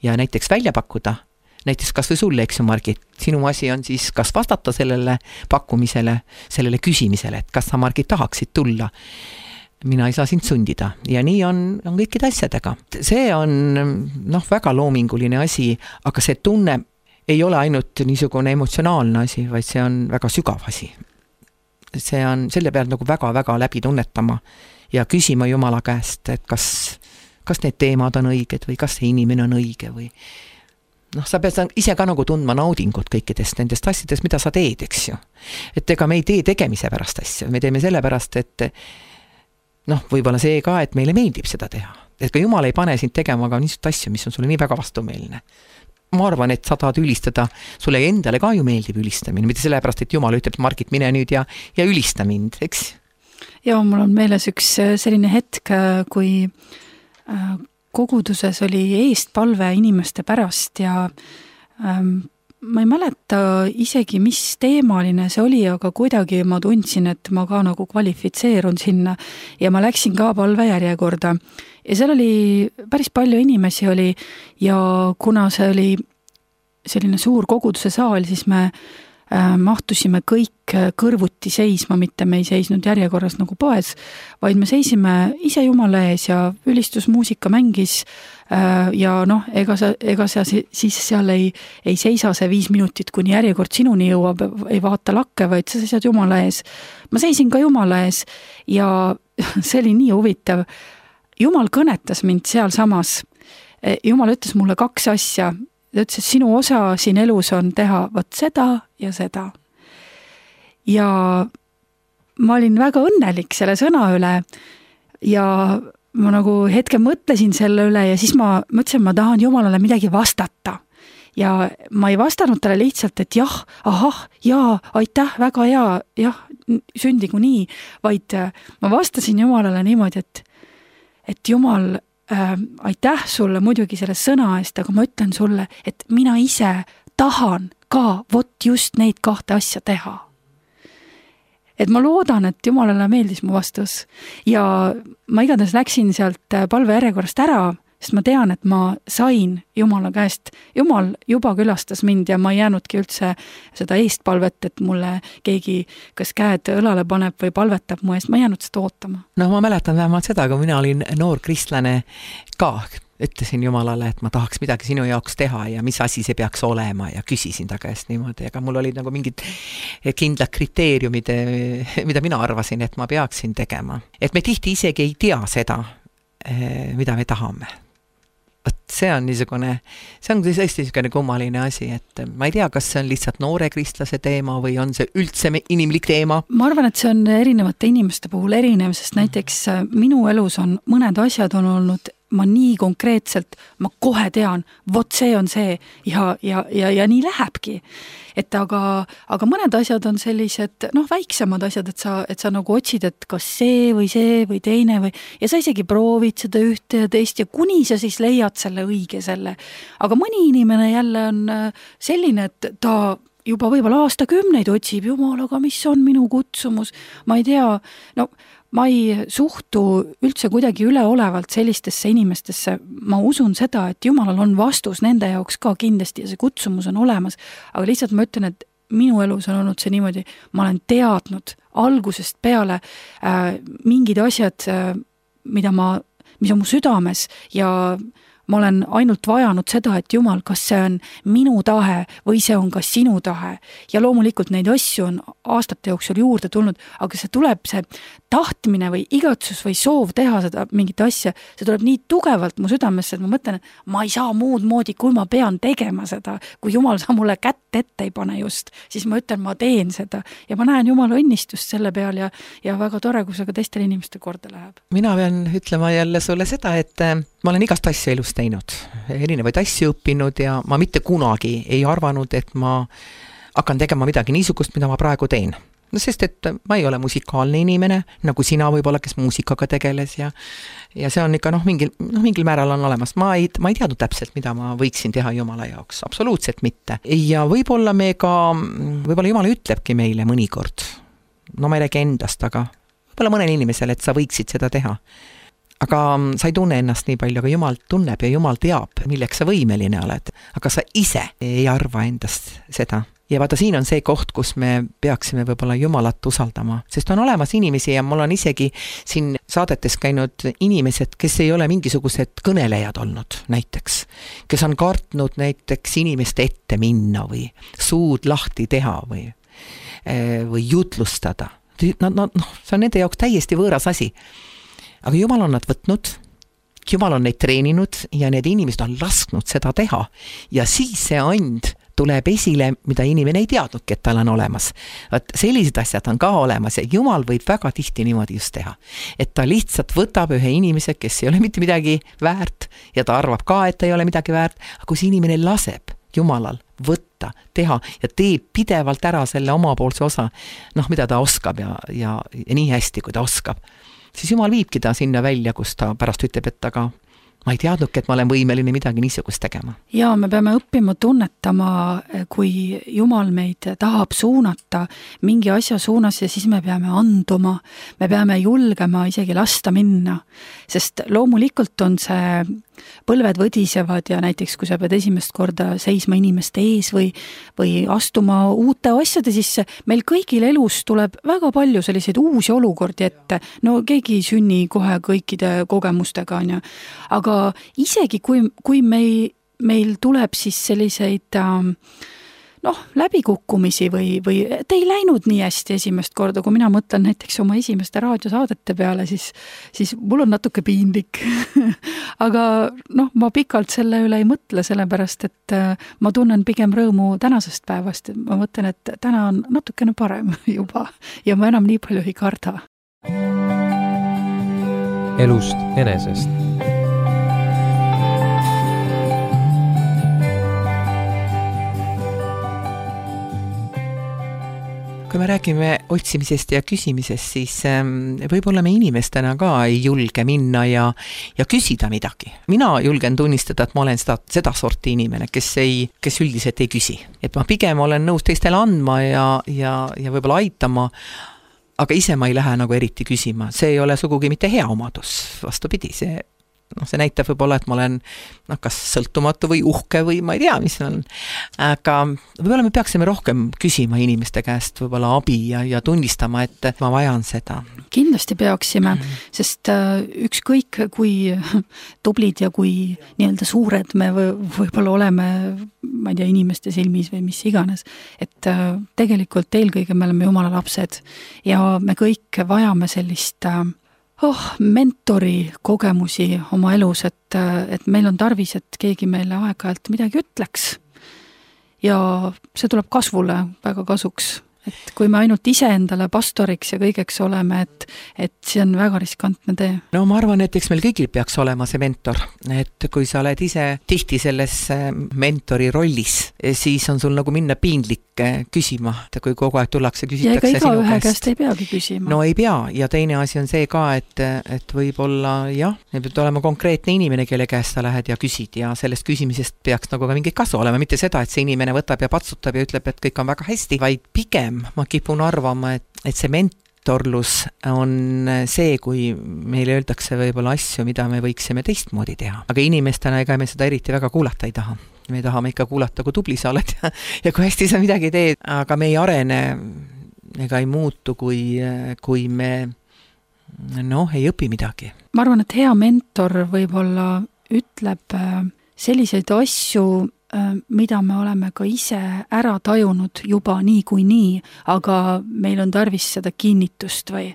ja näiteks välja pakkuda, näiteks kas või sulle, eks ju, Margit, sinu asi on siis kas vastata sellele pakkumisele, sellele küsimisele, et kas sa, Margit, tahaksid tulla. Mina ei saa sind sundida ja nii on, on kõikide asjadega. See on noh, väga loominguline asi, aga see tunne ei ole ainult niisugune emotsionaalne asi, vaid see on väga sügav asi. See on selle pealt nagu väga-väga läbi tunnetama ja küsima Jumala käest, et kas, kas need teemad on õiged või kas see inimene on õige või noh, sa pead ise ka nagu tundma naudingut kõikidest nendest asjadest, mida sa teed, eks ju. Et ega me ei tee tegemise pärast asju, me teeme selle pärast, et noh, võib-olla see ka, et meile meeldib seda teha. Et ka Jumal ei pane sind tegema ka niisugust asju, mis on sulle nii väga vastumeelne. Ma arvan, et sa tahad ülistada, sulle endale ka ju meeldib ülistamine, mitte sellepärast, et Jumal ütleb, Margit, mine nüüd ja, ja ülista mind, eks? Ja mul on meeles üks selline hetk, kui koguduses oli eestpalve inimeste pärast ja ähm, ma ei mäleta isegi, mis teemaline see oli, aga kuidagi ma tundsin, et ma ka nagu kvalifitseerun sinna ja ma läksin ka palvejärjekorda. Ja seal oli päris palju inimesi oli ja kuna see oli selline suur koguduse saal, siis me äh, mahtusime kõik kõrvuti seisma, mitte me ei seisnud järjekorras nagu poes, vaid me seisime ise Jumala ees ja ülistusmuusika mängis äh, ja noh, ega sa, ega sa siis seal ei, ei seisa see viis minutit, kuni järjekord sinuni jõuab, ei vaata lakke, vaid sa seisad Jumala ees. Ma seisin ka Jumala ees ja see oli nii huvitav. Jumal kõnetas mind seal samas. Jumal ütles mulle kaks asja. Ta ütles, et sinu osa siin elus on teha võt seda ja seda. Ja ma olin väga õnnelik selle sõna üle ja ma nagu hetke mõtlesin selle üle ja siis ma mõtlesin, ma tahan Jumalale midagi vastata. Ja ma ei vastanud talle lihtsalt, et jah, ahah, jaa, aitäh, väga hea, jah, sündigu nii, vaid ma vastasin Jumalale niimoodi, et, et Jumal, Äh, aitäh sulle muidugi selle sõna eest, aga ma ütlen sulle, et mina ise tahan ka vot just neid kahte asja teha. Et ma loodan, et Jumalale meeldis mu vastus ja ma igatahes läksin sealt palvejärjekorrast ära, sest ma tean, et ma sain Jumala käest. Jumal juba külastas mind ja ma ei jäänudki üldse seda eestpalvet, et mulle keegi kas käed õlale paneb või palvetab mu eest, ma ei jäänud seda ootama. No ma mäletan vähemalt seda, kui mina olin noor kristlane ka, ütlesin Jumalale, et ma tahaks midagi sinu jaoks teha ja mis asi see peaks olema ja küsisin ta käest niimoodi, aga mul olid nagu mingid kindlad kriteeriumid, mida mina arvasin, et ma peaksin tegema. Et me tihti isegi ei tea seda, mida me tahame. Võt, see on niisugune, see on tõesti niisugune kummaline asi, et ma ei tea, kas see on lihtsalt noore kristlase teema või on see üldse inimlik teema. Ma arvan, et see on erinevate inimeste puhul erinev, sest näiteks minu elus on mõned asjad on olnud, ma nii konkreetselt, ma kohe tean, vot see on see ja, ja, ja, ja nii lähebki. Et aga, aga mõned asjad on sellised, noh, väiksemad asjad, et sa, et sa nagu otsid, et kas see või see või teine või, ja sa isegi proovid seda ühte ja teist ja kuni sa siis leiad selle õige selle. Aga mõni inimene jälle on selline, et ta juba võib-olla aastakümneid otsib, Jumal, aga mis on minu kutsumus, ma ei tea, no ma ei suhtu üldse kuidagi üleolevalt sellistesse inimestesse, ma usun seda, et Jumalal on vastus nende jaoks ka kindlasti ja see kutsumus on olemas, aga lihtsalt ma ütlen, et minu elus on olnud see niimoodi, ma olen teadnud algusest peale äh, mingid asjad, äh, mida ma, mis on mu südames ja ma olen ainult vajanud seda, et Jumal, kas see on minu tahe või see on ka sinu tahe. Ja loomulikult neid asju on aastate jooksul juurde tulnud, aga see tuleb see tahtmine või igatsus või soov teha seda mingit asja, see tuleb nii tugevalt mu südamesse, et ma mõtlen, et ma ei saa muud moodi, kui ma pean tegema seda. Kui Jumal sa mulle kätt ette ei pane just, siis ma ütlen, ma teen seda. Ja ma näen Jumala õnnistust selle peal ja, ja väga tore, kui see ka teistel inimeste korda läheb. Mina pean ütlema jälle sulle seda, et ma olen igast asja elus teinud, erinevaid asju õppinud ja ma mitte kunagi ei arvanud, et ma hakkan tegema midagi niisugust, mida ma praegu teen. No sest, et ma ei ole musikaalne inimene, nagu sina võib-olla, kes muusikaga tegeles ja, ja see on ikka noh, mingil, noh, mingil määral on olemas. Ma ei, ma ei teadnud täpselt, mida ma võiksin teha Jumala jaoks. Absoluutselt mitte. Ja võib-olla me ka, võib-olla Jumala ütlebki meile mõnikord, no ma ei räägi endast, aga võib-olla mõnel inimesel, et sa võiksid seda teha. Aga sa ei tunne ennast nii palju, aga Jumal tunneb ja Jumal teab, milleks sa võimeline oled. Aga sa ise ei arva endast seda. Ja vaata, siin on see koht, kus me peaksime võib-olla Jumalat usaldama. Sest on olemas inimesi ja mul on isegi siin saadetes käinud inimesed, kes ei ole mingisugused kõnelejad olnud näiteks. Kes on kartnud näiteks inimeste ette minna või suud lahti teha või, või jutlustada. No, no, no, see on nende jaoks täiesti võõras asi. Aga Jumal on nad võtnud, Jumal on neid treeninud ja need inimesed on lasknud seda teha. Ja siis see and tuleb esile, mida inimene ei teadnudki, et tal on olemas. Vaat sellised asjad on ka olemas ja Jumal võib väga tihti niimoodi just teha. Et ta lihtsalt võtab ühe inimese, kes ei ole mitte midagi väärt ja ta arvab ka, et ta ei ole midagi väärt, aga kui see inimene laseb Jumalal võtta, teha ja teeb pidevalt ära selle omapoolse osa, noh, mida ta oskab ja, ja, ja nii hästi, kui ta oskab, siis Jumal viibki ta sinna välja, kus ta pärast ütleb, et aga ma ei teadnudki, et ma olen võimeline midagi niisugust tegema. Ja me peame õppima tunnetama, kui Jumal meid tahab suunata mingi asja suunas ja siis me peame anduma, me peame julgema isegi lasta minna, sest loomulikult on see põlved võdisevad ja näiteks kui sa pead esimest korda seisma inimeste ees või, või astuma uute asjade sisse, meil kõigil elus tuleb väga palju selliseid uusi olukordi ette, no keegi ei sünni kohe kõikide kogemustega, on ju. Aga isegi kui, kui meil, meil tuleb siis selliseid ähm, noh, läbikukkumisi või, või te ei läinud nii hästi esimest korda, kui mina mõtlen näiteks oma esimeste raadiosaadete peale, siis, siis mul on natuke piinlik. Aga noh, ma pikalt selle üle ei mõtle, sellepärast, et ma tunnen pigem rõõmu tänasest päevast. Ma mõtlen, et täna on natukene parem juba ja ma enam nii palju ei karda. Elust enesest. Kui me räägime otsimisest ja küsimisest, siis võib-olla me inimestena ka ei julge minna ja, ja küsida midagi. Mina julgen tunnistada, et ma olen seda, seda sorti inimene, kes, ei, kes üldiselt ei küsi. Et ma pigem olen nõus teistele andma ja, ja, ja võib-olla aitama, aga ise ma ei lähe nagu eriti küsima. See ei ole sugugi mitte hea omadus, vastupidi, see noh, see näitab võib-olla, et ma olen noh, kas sõltumatu või uhke või ma ei tea, mis on. Aga võib-olla me peaksime rohkem küsima inimeste käest võib-olla abi ja, ja tunnistama, et ma vajan seda. Kindlasti peaksime, sest ükskõik kui tublid ja kui nii-öelda suured me võib-olla oleme, ma ei tea, inimeste silmis või mis iganes, et tegelikult eelkõige me oleme Jumala lapsed ja me kõik vajame sellist oh, mentori kogemusi oma elus, et, et meil on tarvis, et keegi meile aeg-ajalt midagi ütleks ja see tuleb kasvule väga kasuks. Et kui me ainult ise endale pastoriks ja kõigeks oleme, et, et see on väga riskantne tee. No ma arvan, et eks meil kõigil peaks olema see mentor, et kui sa oled ise tihti selles mentori rollis, siis on sul nagu minna piinlik küsima, et kui kogu aeg tullakse, küsitakse ja ega iga ühe käest ei peagi küsima. No ei pea, ja teine asi on see ka, et, et võib-olla jah, peab olema konkreetne inimene, kelle käest sa lähed ja küsid ja sellest küsimisest peaks nagu ka mingit kasu olema, mitte seda, et see inimene võtab ja patsutab ja ütleb, et kõik on väga hästi, vaid pigem ma kipun arvama, et, et see mentorlus on see, kui meile öeldakse võib-olla asju, mida me võiksime teistmoodi teha. Aga inimestena ega me seda eriti väga kuulata ei taha. Me tahame ikka kuulata, kui tubli sa oled ja, ja kui hästi sa midagi teed, aga me ei arene ega ei muutu, kui, kui me noh, ei õpi midagi. Ma arvan, et hea mentor võib-olla ütleb selliseid asju, mida me oleme ka ise ära tajunud juba nii kui nii, aga meil on tarvis seda kinnitust või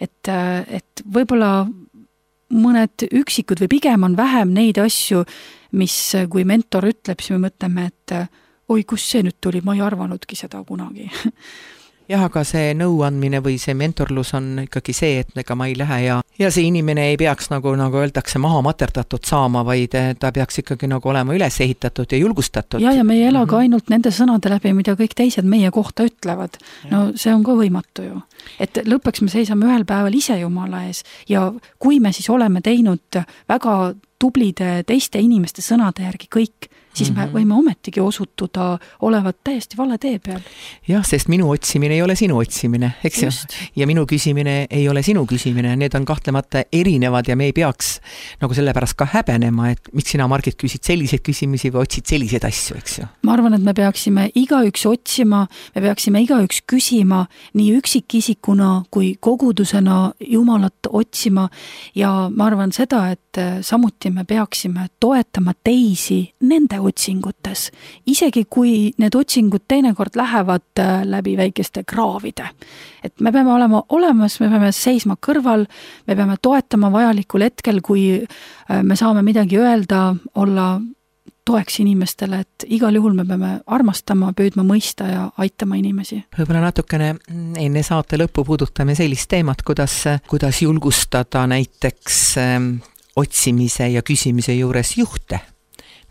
et, et võib-olla mõned üksikud või pigem on vähem neid asju, mis kui mentor ütleb, siis me mõtleme, et oi, kus see nüüd tuli, ma ei arvanudki seda kunagi. Jah, aga see nõuandmine või see mentorlus on ikkagi see, et ega ma ei lähe ja, ja see inimene ei peaks nagu, nagu öeldakse, maha materdatud saama, vaid ta peaks ikkagi nagu olema üles ehitatud ja julgustatud. Ja, ja me ei ela ka ainult nende sõnade läbi, mida kõik teised meie kohta ütlevad. No see on ka võimatu ju. Et lõpuks me seisame ühel päeval ise Jumala ees ja kui me siis oleme teinud väga tublide teiste inimeste sõnade järgi kõik, siis me võime ometigi osutuda olevat täiesti vale tee peal. Jah, sest minu otsimine ei ole sinu otsimine, eks ju? Ja minu küsimine ei ole sinu küsimine, need on kahtlemata erinevad ja me ei peaks nagu sellepärast ka häbenema, et miks sina, Margit, küsid selliseid küsimisi või otsid selliseid asju, eks ju? Ma arvan, et me peaksime igaüks otsima, me peaksime igaüks küsima nii üksikisikuna kui kogudusena Jumalat otsima ja ma arvan seda, et samuti me peaksime toetama teisi nende otsingutes, isegi kui need otsingud teinekord lähevad läbi väikeste kraavide. Et me peame olema olemas, me peame seisma kõrval, me peame toetama vajalikul hetkel, kui me saame midagi öelda, olla toeks inimestele, et igal juhul me peame armastama, püüdma mõista ja aitama inimesi. Võib-olla natukene enne saate lõppu puudutame sellist teemat, kuidas, kuidas julgustada näiteks otsimise ja küsimise juures juhte.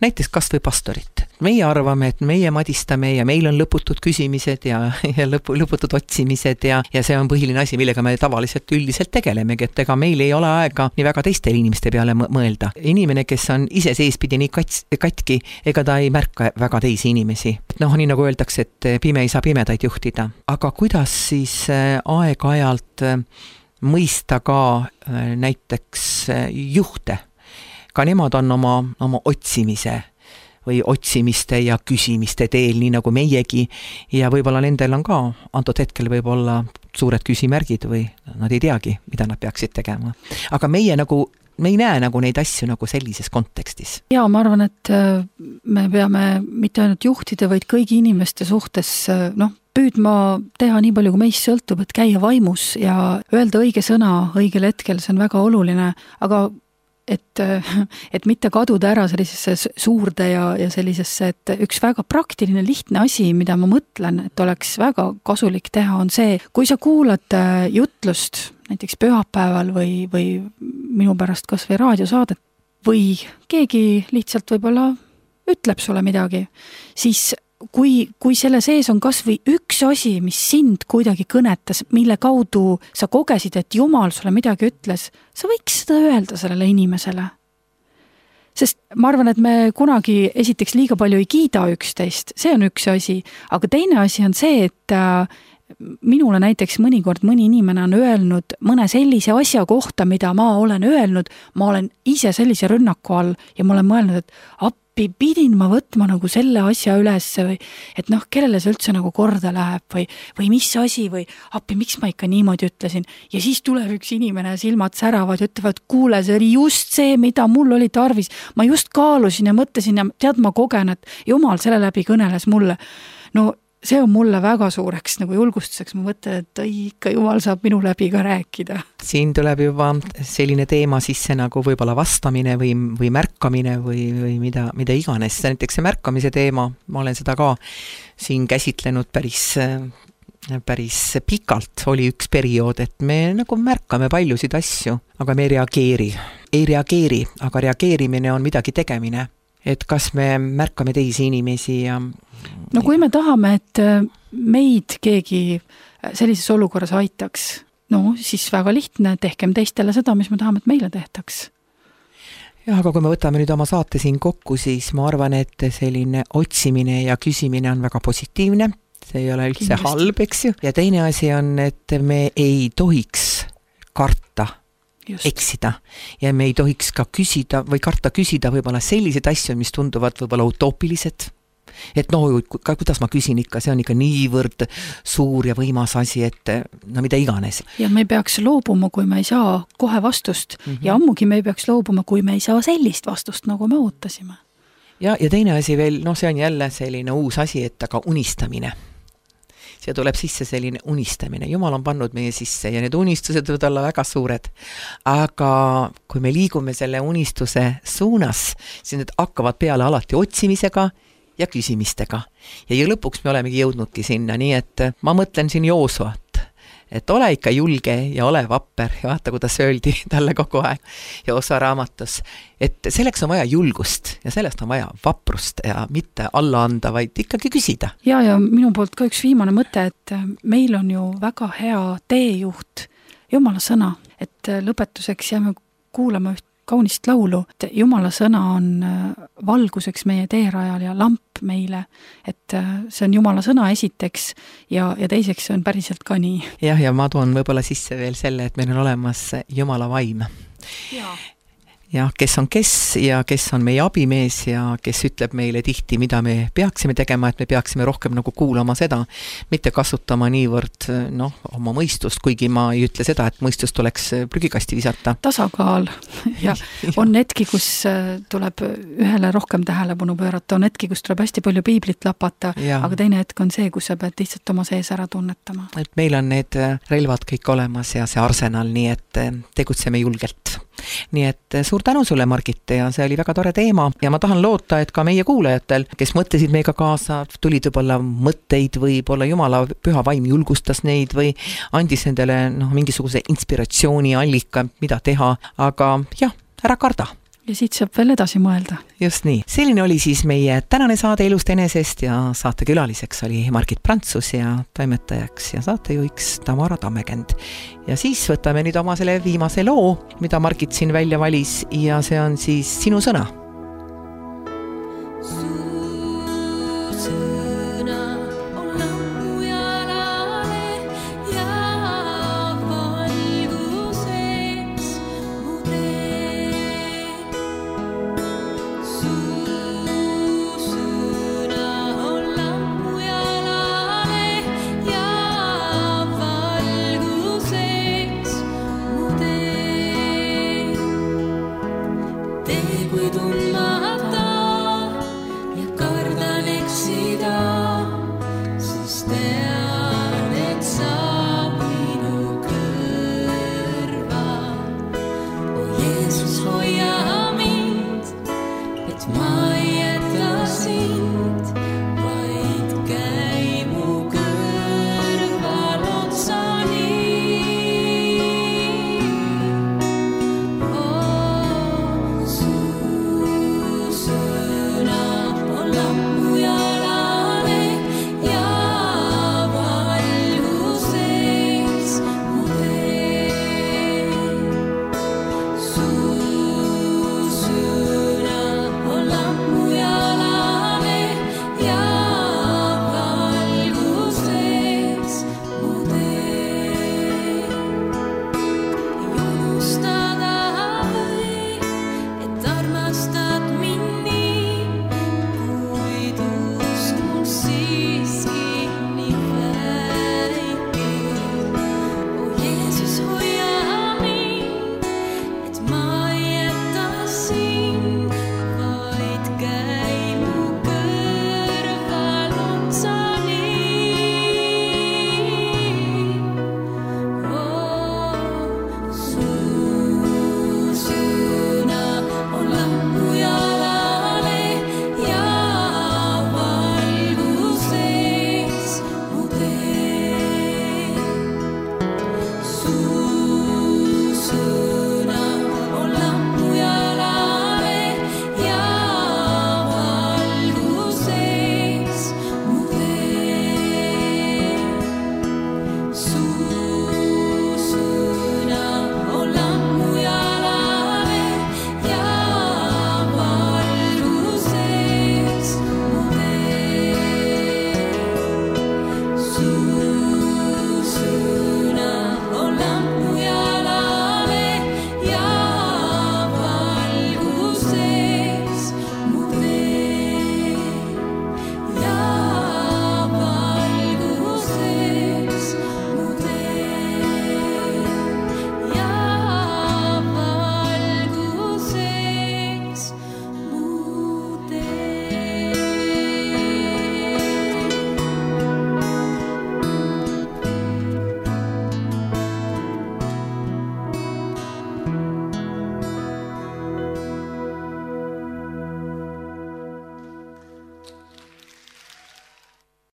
Näiteks kas või pastorit. meie arvame, et meie madistame ja meil on lõputud küsimised ja, ja lõpu, lõputud otsimised ja, ja see on põhiline asi, millega me tavaliselt üldiselt tegelemegi, et ega meil ei ole aega nii väga teistele inimeste peale mõelda. Inimene, kes on ise seespidi nii kats, katki, ega ta ei märka väga teisi inimesi. Noh, nii nagu öeldakse, et pime ei saa pimedaid juhtida. Aga kuidas siis aeg-ajalt mõista ka näiteks juhte? Ka nemad on oma, oma otsimise või otsimiste ja küsimiste teel, nii nagu meiegi, ja võib-olla nendel on ka antud hetkel võib-olla suured küsimärgid või nad ei teagi, mida nad peaksid tegema. Aga meie nagu me ei näe nagu neid asju nagu sellises kontekstis. Ja ma arvan, et me peame mitte ainult juhtida, vaid kõigi inimeste suhtes noh, püüdma teha nii palju, kui meist sõltub, et käia vaimus ja öelda õige sõna õigel hetkel, see on väga oluline, aga et, et mitte kaduda ära sellisesse suurde ja, ja sellisesse, et üks väga praktiline, lihtne asi, mida ma mõtlen, et oleks väga kasulik teha, on see, kui sa kuulad jutlust näiteks pühapäeval või, või minu pärast kas või raadiosaadet või keegi lihtsalt võib-olla ütleb sulle midagi, siis kui, kui selle sees on kas või üks asi, mis sind kuidagi kõnetas, mille kaudu sa kogesid, et Jumal sulle midagi ütles, sa võiks seda öelda sellele inimesele. Sest ma arvan, et me kunagi esiteks liiga palju ei kiida üksteist, see on üks asi, aga teine asi on see, et minule näiteks mõnikord mõni inimene on öelnud mõne sellise asja kohta, mida ma olen öelnud, ma olen ise sellise rünnaku all ja ma olen mõelnud, et appi pidin ma võtma nagu selle asja üles või et noh, kellele see üldse nagu korda läheb või, või mis asi või appi, miks ma ikka niimoodi ütlesin ja siis tuleb üks inimene, silmad säravad ja ütlevad, kuule, see oli just see, mida mul oli tarvis, ma just kaalusin ja mõtlesin ja tead, ma kogen, et Jumal selle läbi kõneles mulle. No see on mulle väga suureks nagu julgustuseks, ma mõtlen, et ikka Jumal saab minu läbi ka rääkida. Siin tuleb juba selline teema sisse nagu võib-olla vastamine või, või märkamine või, või mida, mida iganes. Näiteks see märkamise teema, ma olen seda ka siin käsitlenud päris, päris pikalt, oli üks periood, et me nagu märkame paljusid asju, aga me ei reageeri. Ei reageeri, aga reageerimine on midagi tegemine. Et kas me märkame teisi inimesi ja no kui me tahame, et meid keegi sellises olukorras aitaks, no siis väga lihtne, tehkem teistele seda, mis me tahame, et meile tehtaks. jah, aga kui me võtame nüüd oma saate siin kokku, siis ma arvan, et selline otsimine ja küsimine on väga positiivne, see ei ole üldse Kindlasti. halb, eks ju, ja teine asi on, et me ei tohiks karta Just. eksida ja me ei tohiks ka küsida või karta küsida võib-olla sellised asju, mis tunduvad võib-olla utoopilised, et no kuidas ma küsin ikka, see on ikka niivõrd suur ja võimas asi, et no mida iganes. Ja me ei peaks loobuma, kui me ei saa kohe vastust mm -hmm. ja ammugi me ei peaks loobuma, kui me ei saa sellist vastust, nagu me ootasime. Ja, ja teine asi veel, no see on jälle selline uus asi, et aga unistamine. See tuleb sisse selline unistamine. Jumal on pannud meie sisse ja need unistused võivad olla väga suured. Aga kui me liigume selle unistuse suunas, siis need hakkavad peale alati otsimisega ja küsimistega. Ja, ja lõpuks me olemegi jõudnudki sinna, nii et ma mõtlen siin Joosuat, et ole ikka julge ja ole vapper ja vaata, kuidas öeldi talle kogu aeg Joosua raamatus, et selleks on vaja julgust ja sellest on vaja vaprust ja mitte alla anda, vaid ikkagi küsida. Ja, ja minu poolt ka üks viimane mõte, et meil on ju väga hea teejuht, Jumala sõna, et lõpetuseks jääme kuulama üht kaunist laulu, et Jumala sõna on valguseks meie teerajal ja lamp meile, et see on Jumala sõna esiteks ja, ja teiseks see on päriselt ka nii. Jah, ja ma toon võib-olla sisse veel selle, et meil on olemas Jumala vaim. Jaa. Ja kes on kes ja kes on meie abimees ja kes ütleb meile tihti, mida me peaksime tegema, et me peaksime rohkem nagu kuulama seda, mitte kasutama niivõrd noh, oma mõistust, kuigi ma ei ütle seda, et mõistust tuleks prügikasti visata. Tasakaal ja on hetki, kus tuleb ühele rohkem tähelepanu pöörata, on hetki, kus tuleb hästi palju piiblit lapata, ja. Aga teine hetk on see, kus sa pead lihtsalt oma sees ära tunnetama. Et meil on need relvad kõik olemas ja see arsenal, nii et tegutseme julgelt. Nii et suur tänu sulle, Margit, ja see oli väga tore teema ja ma tahan loota, et ka meie kuulajatel, kes mõtlesid meiega kaasa, tulid võib-olla mõtteid või võib-olla Jumala püha vaim julgustas neid või andis nendele noh, mingisuguse inspiratsiooni allika, mida teha, aga jah, ära karda. ja siit saab veel edasi mõelda. Just nii. Selline oli siis meie tänane saade Elust enesest ja saatekülaliseks oli Margit Prantsus ja toimetajaks ja saatejuhiks Tamara Tammekend. Ja siis võtame nüüd oma selle viimase loo, mida Margit siin välja valis ja see on siis Sinu sõna.